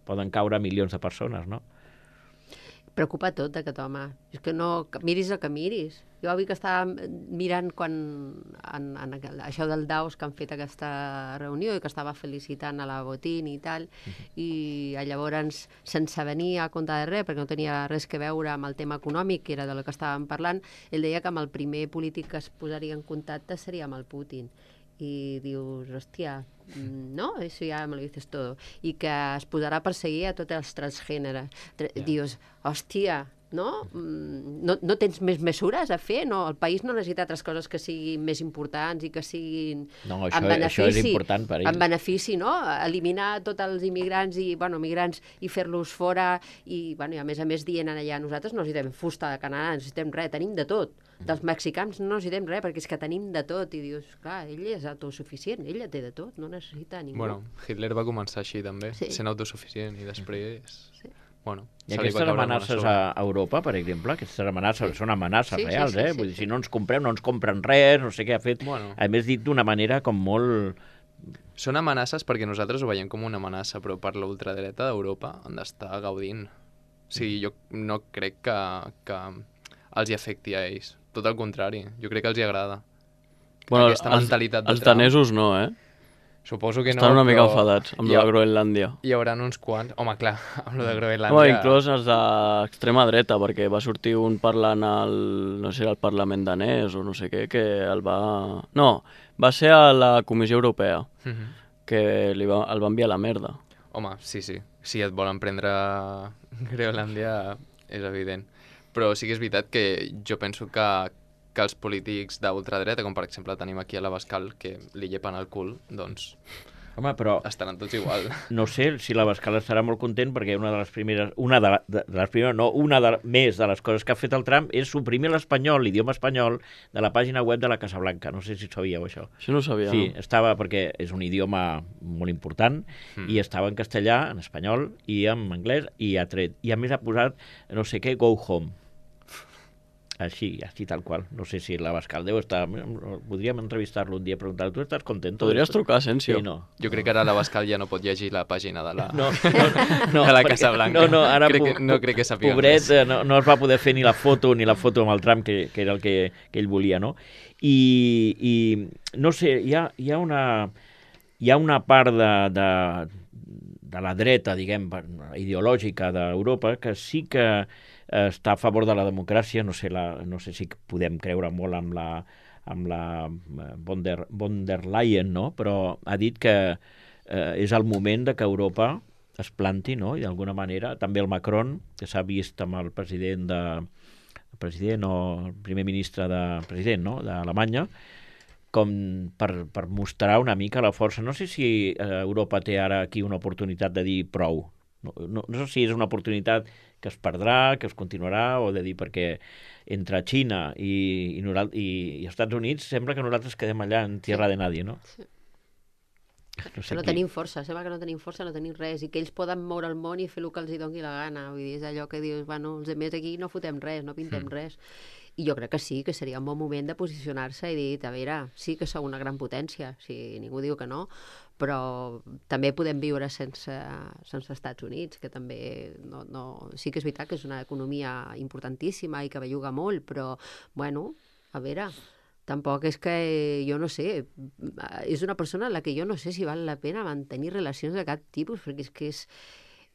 Speaker 1: Poden caure milions de persones, no?
Speaker 4: Preocupa tot aquest home. És que no... que miris el que miris. Jo avui que estava mirant quan en, en aquel- això del Davos que han fet aquesta reunió i que estava felicitant a la Botín i tal, i llavors sense venir a compte de res, perquè no tenia res que veure amb el tema econòmic, que era de lo que estàvem parlant, ell deia que amb el primer polític que es posaria en contacte seria amb el Putin. I dius, hòstia, mm, no? Eso ya me lo dices todo. I que es posarà a perseguir a tots els transgèneres. Tra
Speaker 1: Ja.
Speaker 4: Dius, hòstia, no? Mm, no? No tens més mesures a fer? No, el país no necessita altres coses que siguin més importants i que siguin
Speaker 1: No,
Speaker 4: en
Speaker 1: això,
Speaker 4: benefici,
Speaker 1: això és important per ell.
Speaker 4: en benefici, no? Eliminar tots els immigrants i, bueno, migrants i fer-los fora i, bueno, i a més a més dient allà, nosaltres no necessitem fusta de Canadà, no necessitem res, tenim de tot. Dels mexicans no necessitem res, perquè és que tenim de tot. I dius, clar, ell és autosuficient, ella té de tot, no necessita ningú.
Speaker 2: Bueno, Hitler va començar així també,
Speaker 4: Sí.
Speaker 2: sent autosuficient i després...
Speaker 4: Sí.
Speaker 2: Bueno,
Speaker 1: I
Speaker 2: se li va
Speaker 1: aquestes
Speaker 2: caure una
Speaker 1: amenaces
Speaker 2: sobre.
Speaker 1: a Europa, per exemple, aquestes amenaces són amenaces
Speaker 4: Sí, sí,
Speaker 1: reals,
Speaker 4: sí,
Speaker 1: eh?
Speaker 4: sí,
Speaker 1: Vull dir,
Speaker 4: sí.
Speaker 1: si no ens comprem, no ens compren res, no sé què ha fet.
Speaker 2: Bueno.
Speaker 1: A més, dit d'una manera com molt...
Speaker 2: Són amenaces perquè nosaltres ho veiem com una amenaça, però per la ultradreta d'Europa han d'estar gaudint. O sigui, jo no crec que, que els hi afecti a ells. Tot el contrari, jo crec que els hi agrada.
Speaker 3: Bueno,
Speaker 2: Aquesta
Speaker 3: els,
Speaker 2: mentalitat de
Speaker 3: els
Speaker 2: Trump.
Speaker 3: danesos no, eh?
Speaker 2: Suposo que no,
Speaker 3: Estan una mica
Speaker 2: però
Speaker 3: enfadats amb
Speaker 2: hi
Speaker 3: la
Speaker 2: ha-
Speaker 3: Groenlàndia.
Speaker 2: Hi haurà uns quants... Home, clar, amb lo de Groenlàndia...
Speaker 3: No, inclús els d'extrema dreta, perquè va sortir un parlant al, no sé, al Parlament danès o no sé què, que el va... No, va ser a la Comissió Europea,
Speaker 2: Mhm.
Speaker 3: que li va, el va enviar a la merda.
Speaker 2: Home, sí, sí. Si et volen prendre Groenlàndia, és evident. Però sí que és veritat que jo penso que, que els polítics d'ultradreta, com per exemple tenim aquí a l'Abascal, que li llepen el cul, doncs
Speaker 1: Home, però
Speaker 2: estaran tots igual.
Speaker 1: no sé si l'Abascal estarà molt content perquè una de les primeres, una de, la, de, de les primeres, no, una de, més de les coses que ha fet el Trump és suprimir l'espanyol, l'idioma espanyol, de la pàgina web de la Casa Blanca. No sé si sabíeu això.
Speaker 3: Això no ho sabia,
Speaker 1: Sí,
Speaker 3: no?
Speaker 1: estava perquè és un idioma molt important
Speaker 2: Mm.
Speaker 1: i estava en castellà, en espanyol i en anglès i ha tret. I a més ha posat no sé què, go home. Així, així tal qual. No sé si l'Abascal deu estar... Podríem entrevistar-lo un dia i preguntar-lo, tu estàs content?
Speaker 3: Podries trucar, Asensio.
Speaker 1: Sí, no.
Speaker 2: Jo crec que ara l'Abascal ja no pot llegir la pàgina de la,
Speaker 1: No, no, no,
Speaker 2: de la
Speaker 1: perquè-
Speaker 2: Casa Blanca.
Speaker 1: No, no, ara
Speaker 2: crec
Speaker 1: po-
Speaker 2: que, no crec que sàpiga
Speaker 1: pobret,
Speaker 2: res.
Speaker 1: eh, no, no es va poder fer ni la foto ni la foto amb el Trump, que, que era el que, que ell volia, no? I, i no sé, hi ha, hi ha una hi ha una part de, de, de la dreta, diguem, ideològica d'Europa que sí que eh, està a favor de la democràcia, no sé, la, no sé si podem creure molt amb la, amb la eh, von der, von der Leyen, no? Però ha dit que eh, és el moment de que Europa es planti, no? I d'alguna manera, també el Macron, que s'ha vist amb el president de el president o el primer ministre de president, no? d'Alemanya, com per, per mostrar una mica la força. No sé si eh, Europa té ara aquí una oportunitat de dir prou. No, no, no sé si és una oportunitat que es perdrà, que es continuarà, o de dir perquè entre Xina i, i, noral, i, i Estats Units sembla que nosaltres quedem allà en tierra de nadie, no?
Speaker 4: Sí.
Speaker 1: No sé
Speaker 4: No
Speaker 1: qui-
Speaker 4: tenim força, sembla que no tenim força, no tenim res, i que ells poden moure el món i fer el que els hi doni la gana. Vull dir, és allò que dius, bueno, els altres aquí no fotem res, no pintem
Speaker 2: Mm.
Speaker 4: res. I jo crec que sí, que seria un bon moment de posicionar-se i dir, a veure, sí que sou una gran potència, si ningú diu que no, però també podem viure sense, sense Estats Units, que també no, no... sí que és veritat que és una economia importantíssima i que belluga molt, però, bueno, a veure, tampoc és que, jo no sé, és una persona en la que jo no sé si val la pena mantenir relacions de cap tipus, perquè és que és...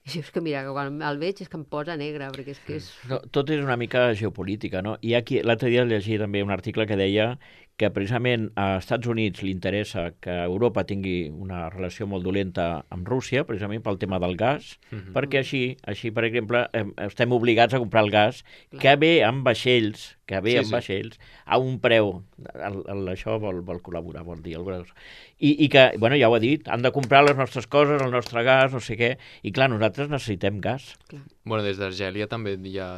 Speaker 4: És que, mira, quan el veig és que em posa negre, perquè és que és...
Speaker 1: No, tot és una mica geopolítica, no? I aquí, l'altre dia llegia també un article que deia que precisament a Estats Units li interessa que Europa tingui una relació molt dolenta amb Rússia, precisament pel tema del gas, mm-hmm. perquè així, així, per exemple, estem obligats a comprar el gas, Clar. que ve amb vaixells, que ve sí, amb sí. vaixells, a un preu. El, el, això vol, vol col·laborar, vol dir alguna cosa. I, I que, bueno, ja ho ha dit, han de comprar les nostres coses, el nostre gas, no sé què, i clar, nosaltres necessitem gas.
Speaker 4: Clar.
Speaker 2: Bueno, des d'Argèlia també hi ha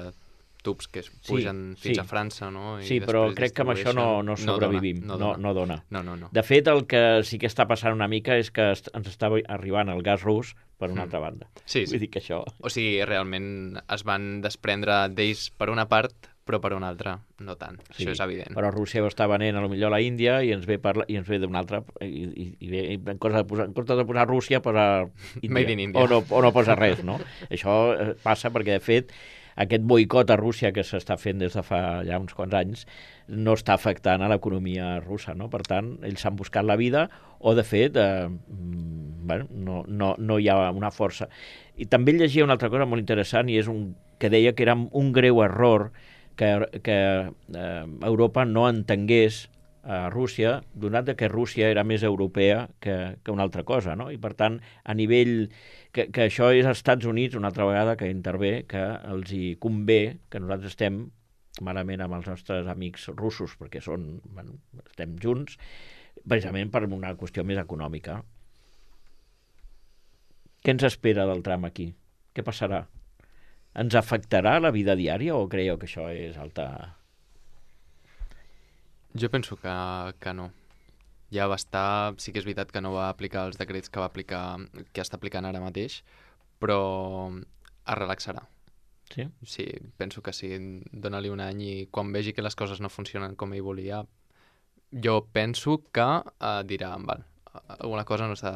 Speaker 2: tubs que es pugen sí, fins sí. a França, no? I
Speaker 1: sí, però crec que amb això no, no sobrevivim, no dona, no, dona.
Speaker 2: no, no, no, no.
Speaker 1: De fet, el que sí que està passant una mica és que ens està arribant el gas rus per una mm. altra banda.
Speaker 2: Sí,
Speaker 1: Vull
Speaker 2: sí.
Speaker 1: dir que això...
Speaker 2: O sigui, realment es van desprendre d'ells per una part, però per una altra no tant. Sí, això és evident.
Speaker 1: Però Rússia ho està venent a lo millor a la Índia i ens ve, parla, i ens ve d'una altra, i, i, i ve, en comptes de posar, en comptes de posar Rússia, posa Índia.
Speaker 2: Made in India.
Speaker 1: O no, o no posa res, no? Això passa perquè, de fet, aquest boicot a Rússia que s'està fent des de fa ja uns quants anys no està afectant a l'economia russa, no? Per tant, ells s'han buscat la vida o, de fet, eh, bueno, no, no, no hi ha una força. I també llegia una altra cosa molt interessant i és un, que deia que era un greu error que, que eh, Europa no entengués a Rússia, donat que Rússia era més europea que, que una altra cosa, no? I, per tant, a nivell... Que, que això és als Estats Units, una altra vegada, que intervé, que els hi convé que nosaltres estem malament amb els nostres amics russos, perquè són, bueno, estem junts, precisament per una qüestió més econòmica. Què ens espera del tram aquí? Què passarà? Ens afectarà la vida diària o creieu que això és alta...
Speaker 2: Jo penso que, que no. Ja va estar... Sí que és veritat que no va aplicar els decrets que va aplicar, que està aplicant ara mateix, però es relaxarà.
Speaker 1: Sí?
Speaker 2: Sí, penso que sí. Dóna-li un any i quan vegi que les coses no funcionen com ell volia, jo penso que uh, dirà, val, alguna cosa no està...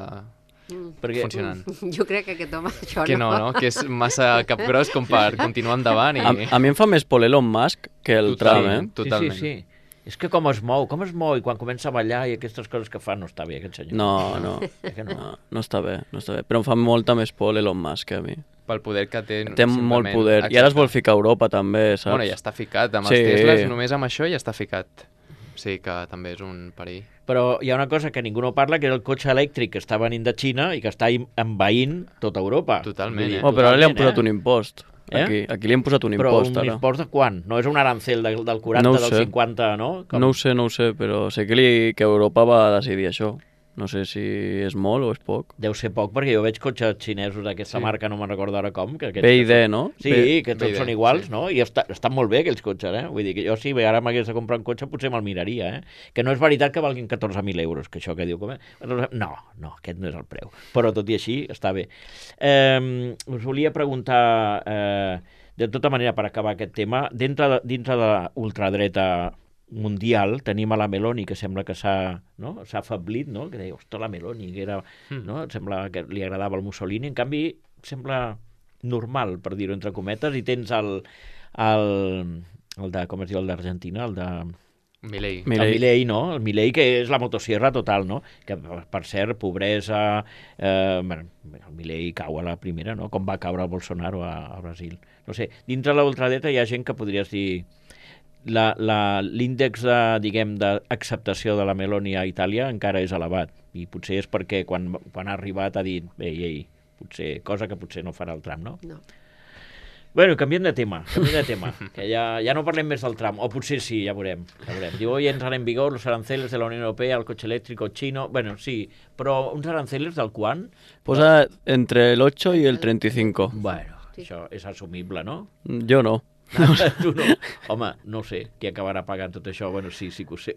Speaker 2: Mm. Perquè, funcionant.
Speaker 4: Jo crec que aquest home això
Speaker 2: que no. Que no, no? Que és massa capgros com per continuar endavant. I...
Speaker 3: A, a mi em fa més por Elon Musk que el Trump, eh?
Speaker 2: Totalment.
Speaker 1: Sí, sí, sí. És que com es mou, com es mou, i quan comença a ballar i aquestes coses que fa, no està bé, aquest senyor.
Speaker 3: No, no,
Speaker 1: no?
Speaker 3: no, no està bé, no està bé. Però em fa molta més por Elon Musk a mi.
Speaker 2: Pel poder que té.
Speaker 3: Té molt poder. Exacte. I ara es vol ficar a Europa, també, saps?
Speaker 2: Bueno, ja està ficat. Amb sí. els Teslas, només amb això ja està ficat. Sí, que també és un perill.
Speaker 1: Però hi ha una cosa que ningú no parla, que és el cotxe elèctric que està venint de Xina i que està envaint tota Europa.
Speaker 2: Totalment, eh?
Speaker 3: Oh, però ara li han posat eh? un impost.
Speaker 1: Eh?
Speaker 3: Aquí, aquí li han posat un
Speaker 1: però
Speaker 3: impost.
Speaker 1: Però un
Speaker 3: ara.
Speaker 1: impost de quan? No és un arancel de, del quaranta,
Speaker 3: no
Speaker 1: del cinquanta, no? Com...
Speaker 3: No ho sé, no ho sé, però sé que, li, que Europa va decidir això. No sé si és molt o és poc.
Speaker 1: Deu ser poc, perquè jo veig cotxes xinesos d'aquesta sí. marca, no me'n recordo ara com. Que
Speaker 3: B I D, no?
Speaker 1: Sí,
Speaker 3: B...
Speaker 1: que tots B I D, són iguals, sí. no? I està, estan molt bé aquells cotxes, eh? Vull dir que jo si ara m'hagués de comprar un cotxe potser me'l miraria, eh? Que no és veritat que valguin catorze mil euros, que això que diu... Com... No, no, aquest no és el preu. Però tot i així està bé. Eh, us volia preguntar... Eh, de tota manera, per acabar aquest tema, dintre de, dintre de l'ultradreta mundial tenim a la Meloni, que sembla que s'ha no? s'ha afeblit, no? Que deia, ostres, la Meloni, que era, mm. no? Sembla que li agradava el Mussolini, en canvi sembla normal, per dir-ho entre cometes, i tens el, el, el de, com es diu, el d'Argentina, el de...
Speaker 2: Milei.
Speaker 1: El Milei, no? El Milei, que és la motosierra total, no? Que, per cert, pobresa... Eh, bueno, el Milei cau a la primera, no? Com va caure el Bolsonaro a, a Brasil. No sé, dintre de l'ultradreta hi ha gent que podries dir... L'índex de, diguem, d'acceptació de la Meloni a Itàlia encara és elevat. I potser és perquè quan, quan ha arribat ha dit, ei, ei, potser, cosa que potser no farà el Trump, no?
Speaker 4: No.
Speaker 1: Bueno, canviem de tema, canviem de tema, que ja, ja no parlem més del tram, o potser sí, ja veurem, ja veurem. Diu, hoy entran en vigor los aranceles de la Unión Europea al coche eléctrico chino, bueno, sí, però uns aranceles del quan?
Speaker 3: Posa entre el ocho y el treinta y cinco.
Speaker 1: Bueno, sí. Això és assumible, no?
Speaker 3: Jo no.
Speaker 1: Tu no? Home, no sé, qui acabarà pagant tot això? Bueno, sí, sí que ho sé.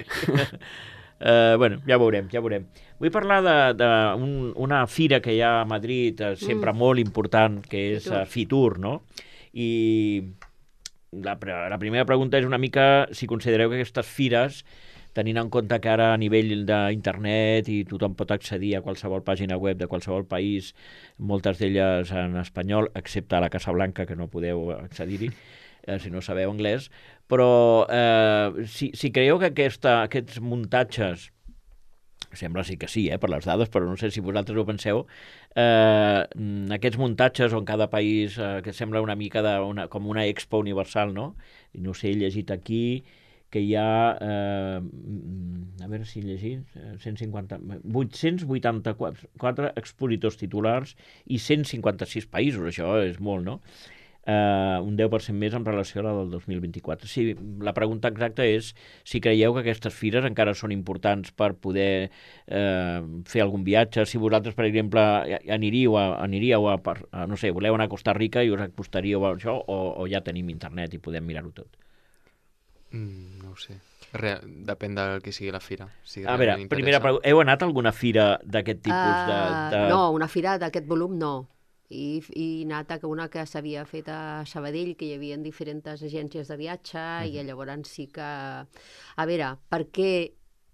Speaker 1: Uh, bueno, ja veurem, ja veurem. Vull parlar d'una un, fira que hi ha a Madrid, uh, sempre mm. molt important, que és uh, Fitur, no? I la, la primera pregunta és una mica si considereu que aquestes fires, tenint en compte que ara a nivell d'internet i tothom pot accedir a qualsevol pàgina web de qualsevol país, moltes d'elles en espanyol, excepte a la Casa Blanca, que no podeu accedir-hi, eh, si no sabeu anglès, però eh, si, si creieu que aquesta, aquests muntatges, sembla sí que sí, eh, per les dades, però no sé si vosaltres ho penseu, eh, aquests muntatges on cada país, eh, que sembla una mica de una, com una expo universal, no? I no sé, he llegit aquí que hi ha, eh, a veure si he llegit, cent cinquanta, vuit-cents vuitanta-quatre expositors titulars i cent cinquanta-sis països, això és molt, no? Uh, un deu per cent més en relació a la del dos mil vint-i-quatre. Sí, la pregunta exacta és si creieu que aquestes fires encara són importants per poder uh, fer algun viatge, si vosaltres, per exemple, aniríeu a, aniríeu a, a, no sé, voleu anar a Costa Rica i us acostaríeu a això, o, o ja tenim internet i podem mirar-ho tot?
Speaker 2: Mm, no ho sé. Real, depèn del que sigui la fira. Si
Speaker 1: a veure, primera pregunta, heu anat a alguna fira d'aquest tipus? Uh, de, de...
Speaker 4: No, una fira d'aquest volum no. I, i anat a una que s'havia fet a Sabadell, que hi havia diferents agències de viatge, uh-huh. i llavors sí que... A veure, perquè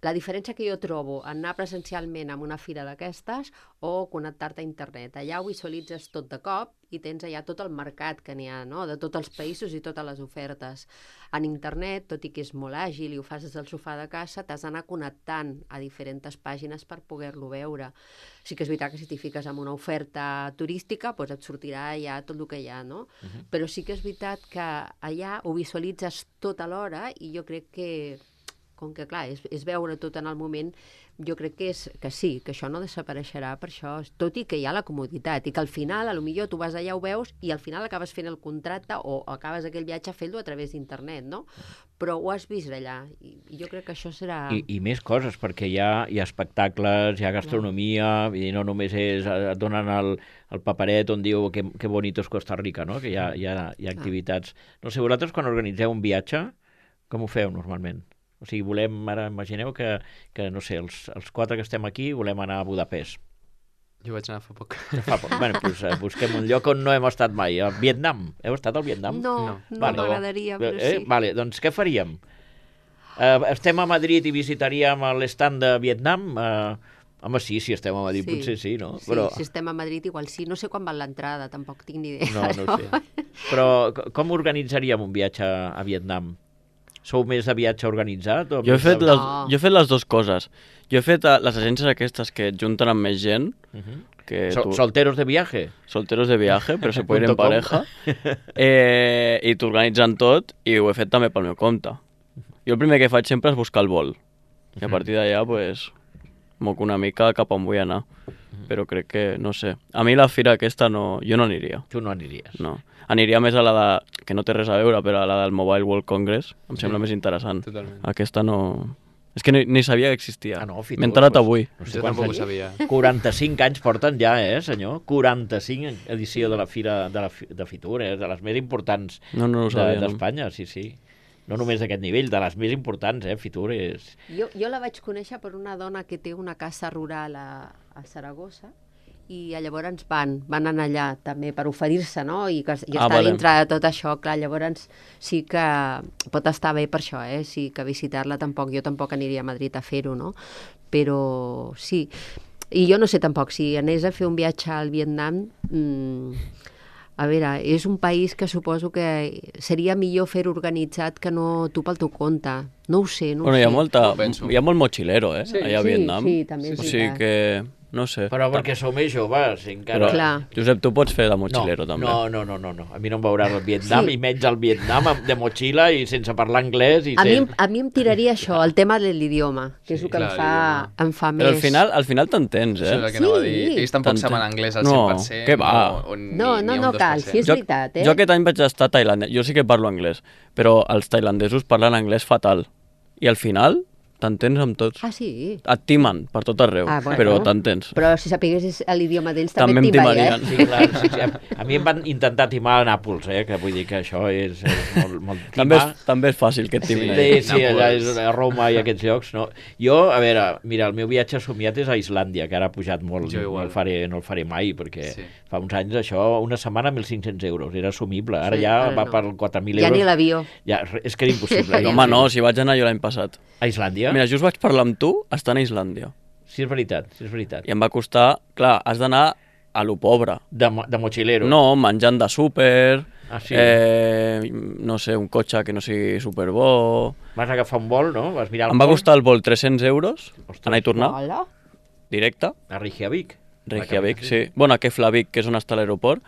Speaker 4: la diferència que jo trobo en anar presencialment a una fira d'aquestes o connectar-te a internet. Allà ho visualitzes tot de cop i tens allà tot el mercat que n'hi ha, no? De tots els països i totes les ofertes. En internet, tot i que és molt àgil i ho fas des del sofà de casa, t'has d'anar connectant a diferents pàgines per poder-lo veure. Sí que és veritat que si t'hi fiques en una oferta turística, doncs et sortirà allà tot el que hi ha, no? Uh-huh. Però sí que és veritat que allà ho visualitzes tot alhora i jo crec que com que, clar, és, és veure tot en el moment, jo crec que, és, que sí, que això no desapareixerà per això, tot i que hi ha la comoditat, i que al final, a lo millor tu vas allà, ho veus, i al final acabes fent el contracte o acabes aquell viatge fent-lo a través d'internet, no? Però ho has vist allà, i, i jo crec que això serà...
Speaker 1: I, i més coses, perquè hi ha, hi ha espectacles, hi ha gastronomia, i no només és, et donen el, el paperet on diu que, que bonito és Costa Rica, no? Que hi ha, hi ha, hi ha activitats. No sé, vosaltres quan organitzeu un viatge, com ho feu normalment? O sigui, volem, ara imagineu que, que no sé, els, els quatre que estem aquí volem anar a Budapest.
Speaker 2: Jo vaig anar fa poc.
Speaker 1: Fa poc. Bueno, doncs uh, busquem un lloc on no hem estat mai. A Vietnam. Heu estat al Vietnam?
Speaker 4: No, no, no vale. M'agradaria, però
Speaker 1: eh,
Speaker 4: sí.
Speaker 1: Vale, doncs què faríem? Uh, estem a Madrid i visitaríem l'estand de Vietnam? Uh, home, sí, si estem a Madrid, sí. Potser sí, no?
Speaker 4: Sí, però... si estem a Madrid igual sí. No sé quan val l'entrada, tampoc tinc ni idea.
Speaker 1: No, no, no sé. Però com organitzaríem un viatge a Vietnam? Sou més de viatge organitzat? O
Speaker 3: jo, he fet
Speaker 1: de...
Speaker 3: les,
Speaker 4: no.
Speaker 3: jo he fet les dues coses. Jo he fet uh, les agències aquestes que et junten amb més gent.
Speaker 1: Uh-huh.
Speaker 3: Que
Speaker 1: Sol,
Speaker 3: tu...
Speaker 1: Solteros de viaje?
Speaker 3: Solteros de viaje, però se pot ir en pareja. Eh, I t'organitzen tot i ho he fet també pel meu compte. Jo el primer que faig sempre és buscar el vol. I a partir d'allà, pues, moc una mica cap on vull anar. Però crec que, no sé, a mi la fira aquesta no, jo no aniria.
Speaker 1: Tu no aniries?
Speaker 3: No. Aniria més a la de, que no té res a veure, però a la del Mobile World Congress, em sí. sembla més interessant.
Speaker 2: Totalment.
Speaker 3: Aquesta no... És que ni, ni sabia que existia.
Speaker 1: Ah, no,
Speaker 3: M'he enterat pues, avui.
Speaker 2: No sé jo tampoc ho sabia.
Speaker 1: quaranta-cinc anys porten ja, eh, senyor? quaranta-cinc edició de la Fira de, la, de Fitur, eh? De les més importants
Speaker 3: no, no sabia,
Speaker 1: d'Espanya, no. Sí, sí. No només d'aquest nivell, de les més importants, eh? Fitur és...
Speaker 4: Jo, jo la vaig conèixer per una dona que té una casa rural a, a Saragossa, i llavors van, van anar allà també per oferir-se, no? I, que, i
Speaker 3: ah,
Speaker 4: estar
Speaker 3: vale.
Speaker 4: dintre de tot això, clar, llavors sí que pot estar bé per això, eh? Sí que visitar-la tampoc, jo tampoc aniria a Madrid a fer-ho, no? Però sí, i jo no sé tampoc, si anés a fer un viatge al Vietnam, mmm, a veure, és un país que suposo que seria millor fer organitzat que no tu pel teu compte. No ho sé, no
Speaker 3: bueno,
Speaker 4: ho sé.
Speaker 3: Hi ha, molta, hi ha molt mochilero, eh?
Speaker 4: Sí,
Speaker 3: allà a
Speaker 4: sí,
Speaker 3: Vietnam.
Speaker 4: sí, també és
Speaker 3: o sigui
Speaker 4: veritat.
Speaker 3: que... No sé.
Speaker 1: Però perquè sou més joves, encara...
Speaker 3: Però, Josep, tu pots fer de mochilero,
Speaker 1: no,
Speaker 3: també.
Speaker 1: No, no, no, no, no. A mi no em veuràs al Vietnam, sí. I menys al Vietnam de motxilla i sense parlar anglès. I
Speaker 4: a,
Speaker 1: sen...
Speaker 4: mi, a mi em tiraria això, el tema de l'idioma, que sí, és el que clar, em, fa, em fa més...
Speaker 3: Però al final, al final t'entens, eh?
Speaker 2: Això és el que sí. No va dir. Ells tampoc saben anglès al cent per cent.
Speaker 3: No, què va?
Speaker 2: O, o ni,
Speaker 4: no, no, no cal, sí és
Speaker 3: jo,
Speaker 4: veritat, eh?
Speaker 3: Jo aquest any vaig estar a Tailàndia. Jo sí que parlo anglès, però els tailandesos parlen anglès fatal. I al final t'entens amb tots.
Speaker 4: Ah, sí?
Speaker 3: Et timen per tot arreu,
Speaker 4: Ah, bueno.
Speaker 3: però t'entens.
Speaker 4: Però si sapiguessis l'idioma d'ells
Speaker 3: També
Speaker 4: també,
Speaker 3: em
Speaker 4: et timarien.
Speaker 3: timarien.
Speaker 1: Sí, clar, sí, sí. A, a mi em van intentar timar a Nàpols, eh? Que vull dir que això és, és molt, molt
Speaker 3: També
Speaker 1: timar.
Speaker 3: és, també és fàcil que et timin.
Speaker 1: Sí,
Speaker 3: allà.
Speaker 1: sí, allà és
Speaker 2: Nàpols.
Speaker 1: a Roma i aquests llocs, no? Jo, a veure, mira, el meu viatge somiat és a Islàndia, que ara ha pujat molt,
Speaker 2: Jo
Speaker 1: no
Speaker 2: igual.
Speaker 1: el, faré, no el faré mai, perquè
Speaker 2: Sí.
Speaker 1: fa uns anys això, una setmana, mil cinc-cents euros, era assumible. Ara
Speaker 4: Sí,
Speaker 1: ja
Speaker 4: ara
Speaker 1: va
Speaker 4: no.
Speaker 1: per quatre mil
Speaker 4: Ja
Speaker 1: euros.
Speaker 4: ni l'avió.
Speaker 1: Ja, és que era impossible.
Speaker 3: No, home, no, si vaig anar jo l'any passat.
Speaker 1: A Islàndia?
Speaker 3: Mira, just vaig parlar amb tu estant a Islàndia.
Speaker 1: Sí, és veritat, sí, és veritat.
Speaker 3: I em va costar... Clar, has d'anar a lo pobre.
Speaker 1: De, mo- de mochilero.
Speaker 3: No, menjant de súper,
Speaker 1: Ah, sí?
Speaker 3: eh, no sé, un cotxe que no sigui superbo...
Speaker 1: Vas agafar un vol, no? Vas mirar el
Speaker 3: Em va
Speaker 1: vol
Speaker 3: costar el vol tres-cents euros,
Speaker 1: Ostres.
Speaker 3: anar i tornar,
Speaker 4: Hola.
Speaker 3: directe,
Speaker 1: a Reykjavik.
Speaker 3: Reykjavik, sí. Bueno, a Keflavik, que és on està l'aeroport,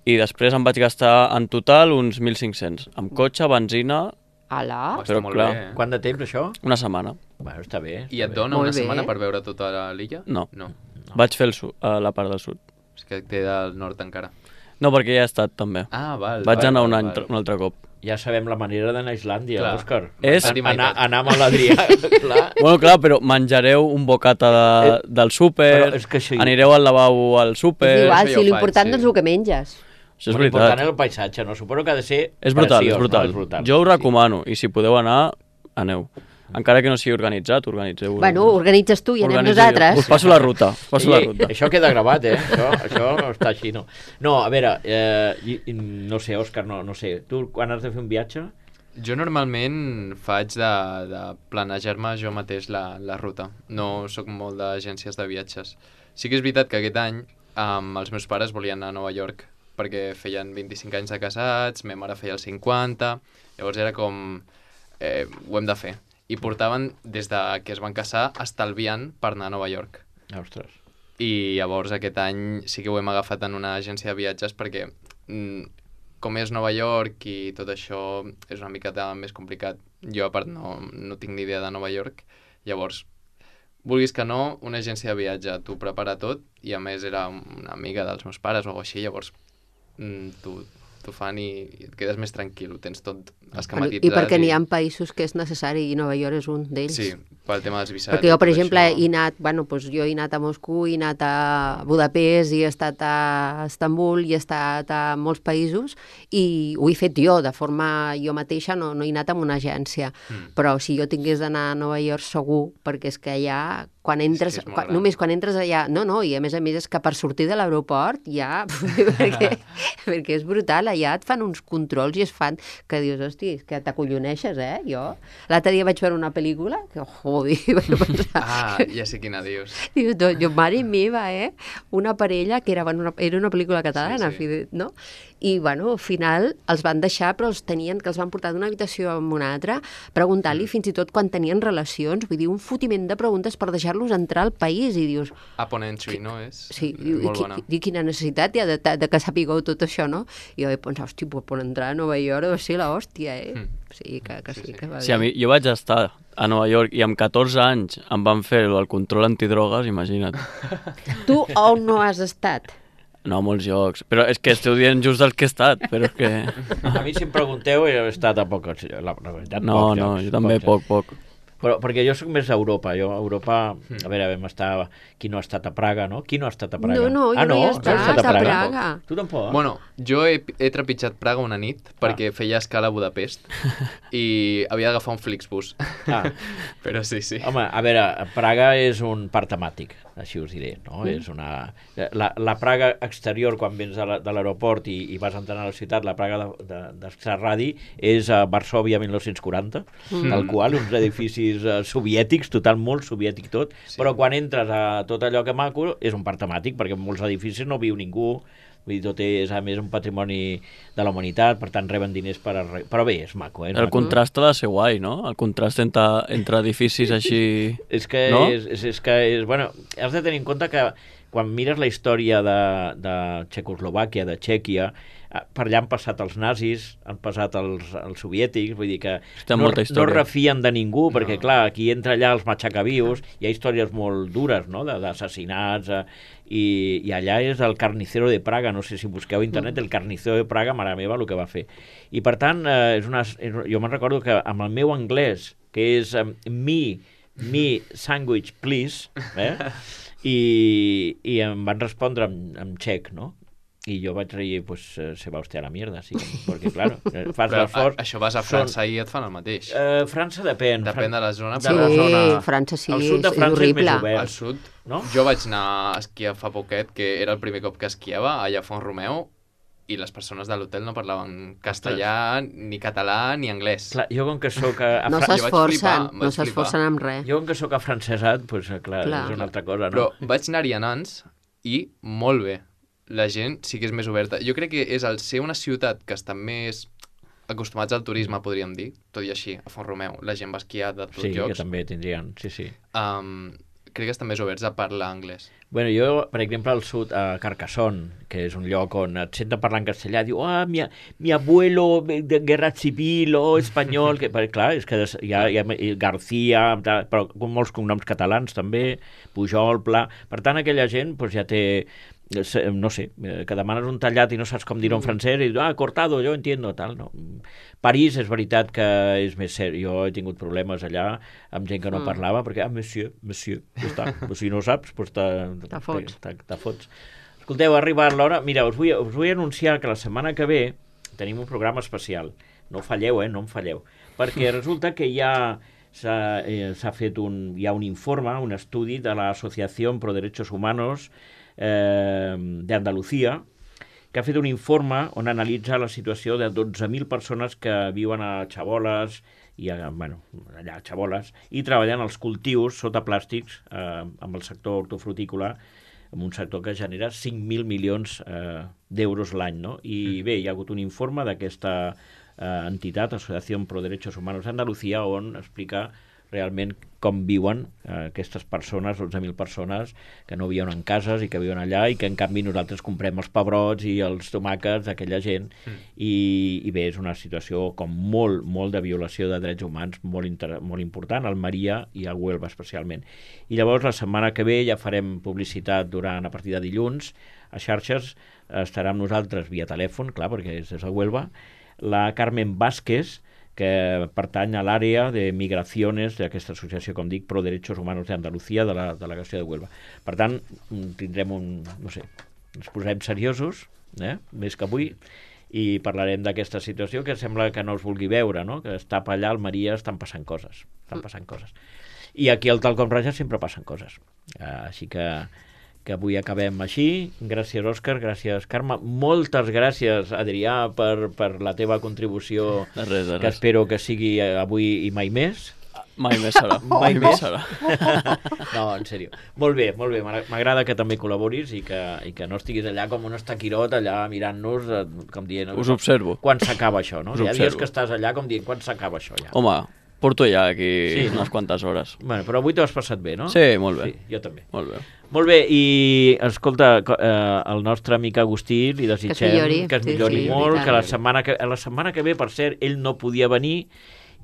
Speaker 3: i després em vaig gastar en total uns mil cinc-cents, amb cotxe, benzina,
Speaker 4: Hola.
Speaker 2: Oh,
Speaker 3: Però,
Speaker 2: està molt
Speaker 3: clar,
Speaker 2: bé.
Speaker 1: Quant de temps, això?
Speaker 3: una setmana.
Speaker 1: Bueno, està bé.
Speaker 2: I
Speaker 1: està
Speaker 2: et
Speaker 1: bé.
Speaker 2: dona
Speaker 4: Molt
Speaker 2: una
Speaker 4: bé.
Speaker 2: setmana per veure tota l'illa?
Speaker 3: No.
Speaker 2: No.
Speaker 3: Vaig fer el sud, a la part del sud.
Speaker 2: És que té del nord encara.
Speaker 3: No, perquè ja he estat, també.
Speaker 2: Ah, val.
Speaker 3: Vaig
Speaker 2: val,
Speaker 3: anar un,
Speaker 2: val,
Speaker 3: any,
Speaker 2: val.
Speaker 3: un altre cop.
Speaker 1: Ja sabem la manera d'anar a Islàndia,
Speaker 2: Clar.
Speaker 1: Òscar.
Speaker 3: És-
Speaker 1: An- anar, anar amb l'Adrià, clar.
Speaker 3: Bueno, clar, però menjareu un bocata de,
Speaker 1: Eh,
Speaker 3: del súper,
Speaker 1: però és que això-
Speaker 3: anireu al lavabo al
Speaker 4: És
Speaker 3: súper...
Speaker 4: igual,
Speaker 2: això ja
Speaker 4: si
Speaker 2: ho
Speaker 4: l'important
Speaker 2: faig,
Speaker 4: no és
Speaker 2: sí.
Speaker 4: el que menges.
Speaker 3: Això és
Speaker 1: Bueno, important
Speaker 3: veritat.
Speaker 1: és el paisatge, no? Suposo que ha de ser
Speaker 3: És brutal,
Speaker 1: preciós,
Speaker 3: és brutal.
Speaker 1: No? És brutal.
Speaker 3: Jo ho recomano, i si podeu anar, aneu. Encara que no sigui organitzat, organitzeu.
Speaker 4: Bueno, organitzes tu i anem
Speaker 3: Organitzo jo.
Speaker 4: nosaltres.
Speaker 3: Us passo la ruta, us passo la
Speaker 1: Ei,
Speaker 3: ruta.
Speaker 1: això queda gravat, eh? Això, això està així, no? No, a veure, eh, i- i no sé, Òscar, no, no sé. Tu, quan has de fer un viatge?
Speaker 2: Jo normalment faig de, de planejar-me jo mateix la, la ruta. No sóc molt d'agències de viatges. Sí que és veritat que aquest any um, els meus pares volien anar a Nova York perquè feien vint-i-cinc anys de casats, ma mare feia els cinquanta, llavors era com... Eh, ho hem de fer. I portaven, des de que es van casar, estalviant per anar a Nova York.
Speaker 1: Ostres.
Speaker 2: I llavors aquest any sí que ho hem agafat en una agència de viatges perquè mm, com és Nova York i tot això és una miqueta més complicat. Jo, a part, no, no tinc ni idea de Nova York. Llavors, vulguis que no, una agència de viatge t'ho prepara tot i a més era una amiga dels meus pares o alguna cosa així, llavors mm, t'ho t'ho fan i et quedes més tranquil, ho tens tot esquematitzat.
Speaker 4: I perquè n'hi ha països que és necessari i Nova York és un d'ells.
Speaker 2: Sí, pel tema dels visats.
Speaker 4: Perquè jo, per
Speaker 2: i tot
Speaker 4: exemple,
Speaker 2: això.
Speaker 4: he anat, bueno, doncs jo he anat a Moscou, he anat a Budapest, i he estat a Estambul, i he estat a molts països, i ho he fet jo, de forma jo mateixa, no, no he anat amb una agència.
Speaker 2: Mm.
Speaker 4: Però si jo tingués d'anar a Nova York segur, perquè és que allà, quan entres,
Speaker 2: és molt
Speaker 4: quan,
Speaker 2: gran.
Speaker 4: només quan entres allà, no, no, i a més a més és que per sortir de l'aeroport ja, perquè, perquè és brutal, allà et fan uns controls i es fan, que dius, hosti, és que t'acolloneixes, eh, jo. L'altre dia vaig veure una pel·lícula, que, joder, vaig pensar,
Speaker 2: Ah, ja sé quina dius.
Speaker 4: dius, do- jo, mare meva, eh, una parella que era, bueno, una, era una pel·lícula catalana,
Speaker 2: Sí, sí.
Speaker 4: sí. no? I, bueno, al final els van deixar, però els tenien, que els van portar d'una habitació a una altra, preguntant-li fins i tot quan tenien relacions, vull dir, un fotiment de preguntes per deixar-los entrar al país, i dius,
Speaker 2: Upon Entry, no? És
Speaker 4: sí, i, i,
Speaker 2: molt
Speaker 4: qui,
Speaker 2: bona.
Speaker 4: i quina necessitat hi ha de, de, de que sapigueu tot això, no? I jo vaig pensar, hosti, pues, per entrar a Nova York va ser l'hòstia, eh?
Speaker 2: Mm.
Speaker 4: Sí, que, que sí,
Speaker 2: Sí, sí.
Speaker 4: que va
Speaker 3: Sí, a
Speaker 4: bé.
Speaker 3: mi, jo vaig estar a Nova York i amb catorze anys em van fer el control antidrogues, imagina't.
Speaker 4: Tu on no has estat?
Speaker 3: No, molts jocs. Però és que esteu dient just dels que he estat, però és que...
Speaker 1: A mi, si em pregunteu, he estat a pocs... La, la veritat,
Speaker 3: No,
Speaker 1: pocs
Speaker 3: no,
Speaker 1: llocs,
Speaker 3: jo també
Speaker 1: pocs
Speaker 3: poc, poc.
Speaker 1: Però, perquè jo sóc més a Europa. Jo a Europa, a veure, vam estar... Qui no ha estat a Praga, no? Qui no ha estat a Praga?
Speaker 4: No, no, jo
Speaker 1: ah,
Speaker 4: no hi he
Speaker 1: has
Speaker 4: estat, a Praga.
Speaker 1: Tu tampoc?
Speaker 2: Bueno, jo he, he trepitjat Praga una nit perquè feia escala a Budapest i havia d'agafar un Flixbus.
Speaker 1: Ah.
Speaker 2: Però sí, sí.
Speaker 1: Home, a veure, Praga és un parc temàtic, així us diré, no? Mm. És una... La, la Praga exterior, quan vens de la- de l'aeroport i, i vas entrant a la ciutat, la Praga de, de, d'Exarradi és a Varsòvia mil nou-cents quaranta, mm. tal qual, uns edificis uh, soviètics, total, molt soviètic tot,
Speaker 2: Sí.
Speaker 1: sí. Però quan entres a tot allò que maco, és un parc temàtic, perquè en molts edificis no viu ningú, vull dir, tot és, a més, un patrimoni de la humanitat, per tant, reben diners per... Arre... Però bé, és maco, eh? És
Speaker 3: El
Speaker 1: maco.
Speaker 3: contrast ha de ser guai, no? El contrast entre, entre edificis així...
Speaker 1: És que,
Speaker 3: No?
Speaker 1: és, és, és que és, bueno, has de tenir en compte que quan mires la història de, de Txecoslovàquia, de Txèquia, eh, per allà han passat els nazis, han passat els, els soviètics, vull dir que
Speaker 3: Té
Speaker 1: no,
Speaker 3: molta
Speaker 1: no
Speaker 3: història.
Speaker 1: refien de ningú, perquè
Speaker 2: No.
Speaker 1: clar, aquí entra allà els matxacavius, hi ha històries molt dures, no?, de- d'assassinats, eh, i, i allà és el carnicero de Praga, no sé si busqueu a internet, el carnicero de Praga, mare meva, el que va fer. I per tant, eh, és una, és, jo me'n recordo que amb el meu anglès, que és eh, mi me sandwich, please, eh? I, i em van respondre en, en txec, no? I jo vaig dir, pues, se va usted a la mierda, sí, perquè, claro, fas l'esforç...
Speaker 2: Això vas a França són... i et fan el mateix.
Speaker 1: Uh, França depèn.
Speaker 2: Depèn de la zona.
Speaker 4: Sí,
Speaker 1: de la zona...
Speaker 4: França sí,
Speaker 1: el sud de
Speaker 4: és,
Speaker 1: França
Speaker 4: és horrible.
Speaker 1: És més obert.
Speaker 2: Al sud,
Speaker 1: no?
Speaker 2: Jo vaig anar a esquiar fa poquet, que era el primer cop que esquiava, allà a Font-romeu, i les persones de l'hotel no parlaven castellà, ni català, ni anglès.
Speaker 1: Clar, jo com que soc... A, a
Speaker 4: no
Speaker 1: Fra...
Speaker 4: s'esforcen, no s'esforcen amb res.
Speaker 1: Jo com que soc afrancesat, doncs, clar, clar, és una altra cosa, no?
Speaker 2: Però vaig anar-hi a Nantes i molt bé. La gent sí que és més oberta. Jo crec que és el ser una ciutat que està més acostumats al turisme, podríem dir, tot i així, a Font-romeu, la gent va esquiar de tots
Speaker 1: sí,
Speaker 2: llocs.
Speaker 1: Sí, que també tindrien, sí, sí.
Speaker 2: Um, crec que estan més oberts a parlar anglès.
Speaker 1: Bueno, jo, per exemple, al sud, a Carcassonne, que és un lloc on et senten parlar en castellà, diu, ah, mi, mi abuelo de guerra civil o oh, espanyol, que, perquè, clar, és que hi ha, hi ha García, però com molts cognoms catalans també, Pujol, Pla, per tant, aquella gent doncs, ja té, no sé, que demanes un tallat i no saps com dir-ho en francès i dius, ah, cortado, jo entiendo, tal, no. París és veritat que és més seri. Jo he tingut problemes allà amb gent que no mm. parlava, perquè, ah, monsieur, monsieur, ja està. Si no ho saps, doncs te fots. Te fots. Escolteu, ha arribat l'hora. Mira, us vull, us vull anunciar que la setmana que ve tenim un programa especial. No falleu, eh? No em falleu. Perquè resulta que ja s'ha eh, fet un, hi ha un informe, un estudi de l'Associació Pro Derechos Humanos eh, d'Andalucía, que ha fet un informe on analitza la situació de dotze mil persones que viuen a Chabolas, i a, bueno, allà a Chabolas, i treballen als cultius sota plàstics eh, amb el sector hortofrutícola, en un sector que genera cinc mil milions eh, d'euros l'any, no? I bé, hi ha hagut un informe d'aquesta eh, entitat, Associació Pro Derechos Humanos d'Andalucía, on explica realment com viuen eh, aquestes persones, dotze mil persones que no viuen en cases i que viuen allà i que en canvi nosaltres comprem els pebrots i els tomàquets d'aquella gent mm. i, i bé, és una situació com molt, molt de violació de drets humans molt, inter... molt important, al Maria i a Huelva especialment. I llavors la setmana que ve ja farem publicitat durant a partir de dilluns a xarxes, estarà amb nosaltres via telèfon, clar, perquè és des de Huelva, la Carmen Vázquez, que pertany a l'àrea de migracions d'aquesta associació, com dic, Pro Derechos Humanos d'Andalucía, de la delegació de Huelva. Per tant, tindrem un, no sé, ens posarem seriosos, eh? Més que avui, i parlarem d'aquesta situació que sembla que no es vulgui veure, no? Que està allà al Maria, estan passant coses, estan passant coses. I aquí al Talcom Raja sempre passen coses. Uh, així que que avui acabem així. Gràcies, Òscar, gràcies, Carme. Moltes gràcies, Adrià, per, per la teva contribució,
Speaker 3: de res, de res.
Speaker 1: Que espero que sigui avui i mai més.
Speaker 3: Mai més serà.
Speaker 1: Mai
Speaker 3: mai
Speaker 1: més
Speaker 3: serà.
Speaker 1: No, en sèrio. Molt bé, molt bé. M'agrada que també col·laboris i que, i que no estiguis allà com un estaquirot, allà mirant-nos, com dient...
Speaker 3: Us observo.
Speaker 1: Quan s'acaba això, no?
Speaker 3: Us
Speaker 1: Hi ha
Speaker 3: observo.
Speaker 1: dies que estàs allà com dient, quan s'acaba això, ja?
Speaker 3: Home, porto ja aquí
Speaker 1: sí,
Speaker 3: unes
Speaker 1: no?
Speaker 3: quantes hores.
Speaker 1: Bueno, però avui t'ho has passat bé, no?
Speaker 3: Sí, molt bé.
Speaker 1: Sí, jo també.
Speaker 3: Molt bé.
Speaker 1: Molt bé, i escolta, eh, el nostre amic Agustí li desitgem
Speaker 4: que es millori,
Speaker 1: que es millori
Speaker 4: sí, sí,
Speaker 1: molt,
Speaker 4: sí,
Speaker 1: que la setmana que, la setmana que ve, per cert, ell no podia venir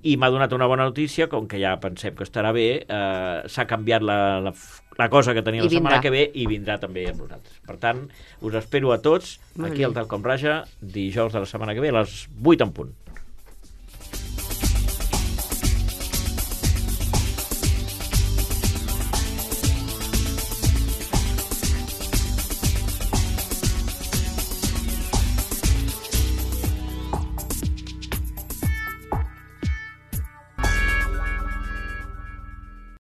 Speaker 1: i m'ha donat una bona notícia, com que ja pensem que estarà bé, eh, s'ha canviat la, la, la cosa que tenia
Speaker 4: I
Speaker 1: la setmana
Speaker 4: vindrà.
Speaker 1: que ve i vindrà també amb nosaltres. Per tant, us espero a tots
Speaker 4: Molt
Speaker 1: aquí
Speaker 4: bé.
Speaker 1: al Talcom Raja, dijous de la setmana que ve a les vuit en punt.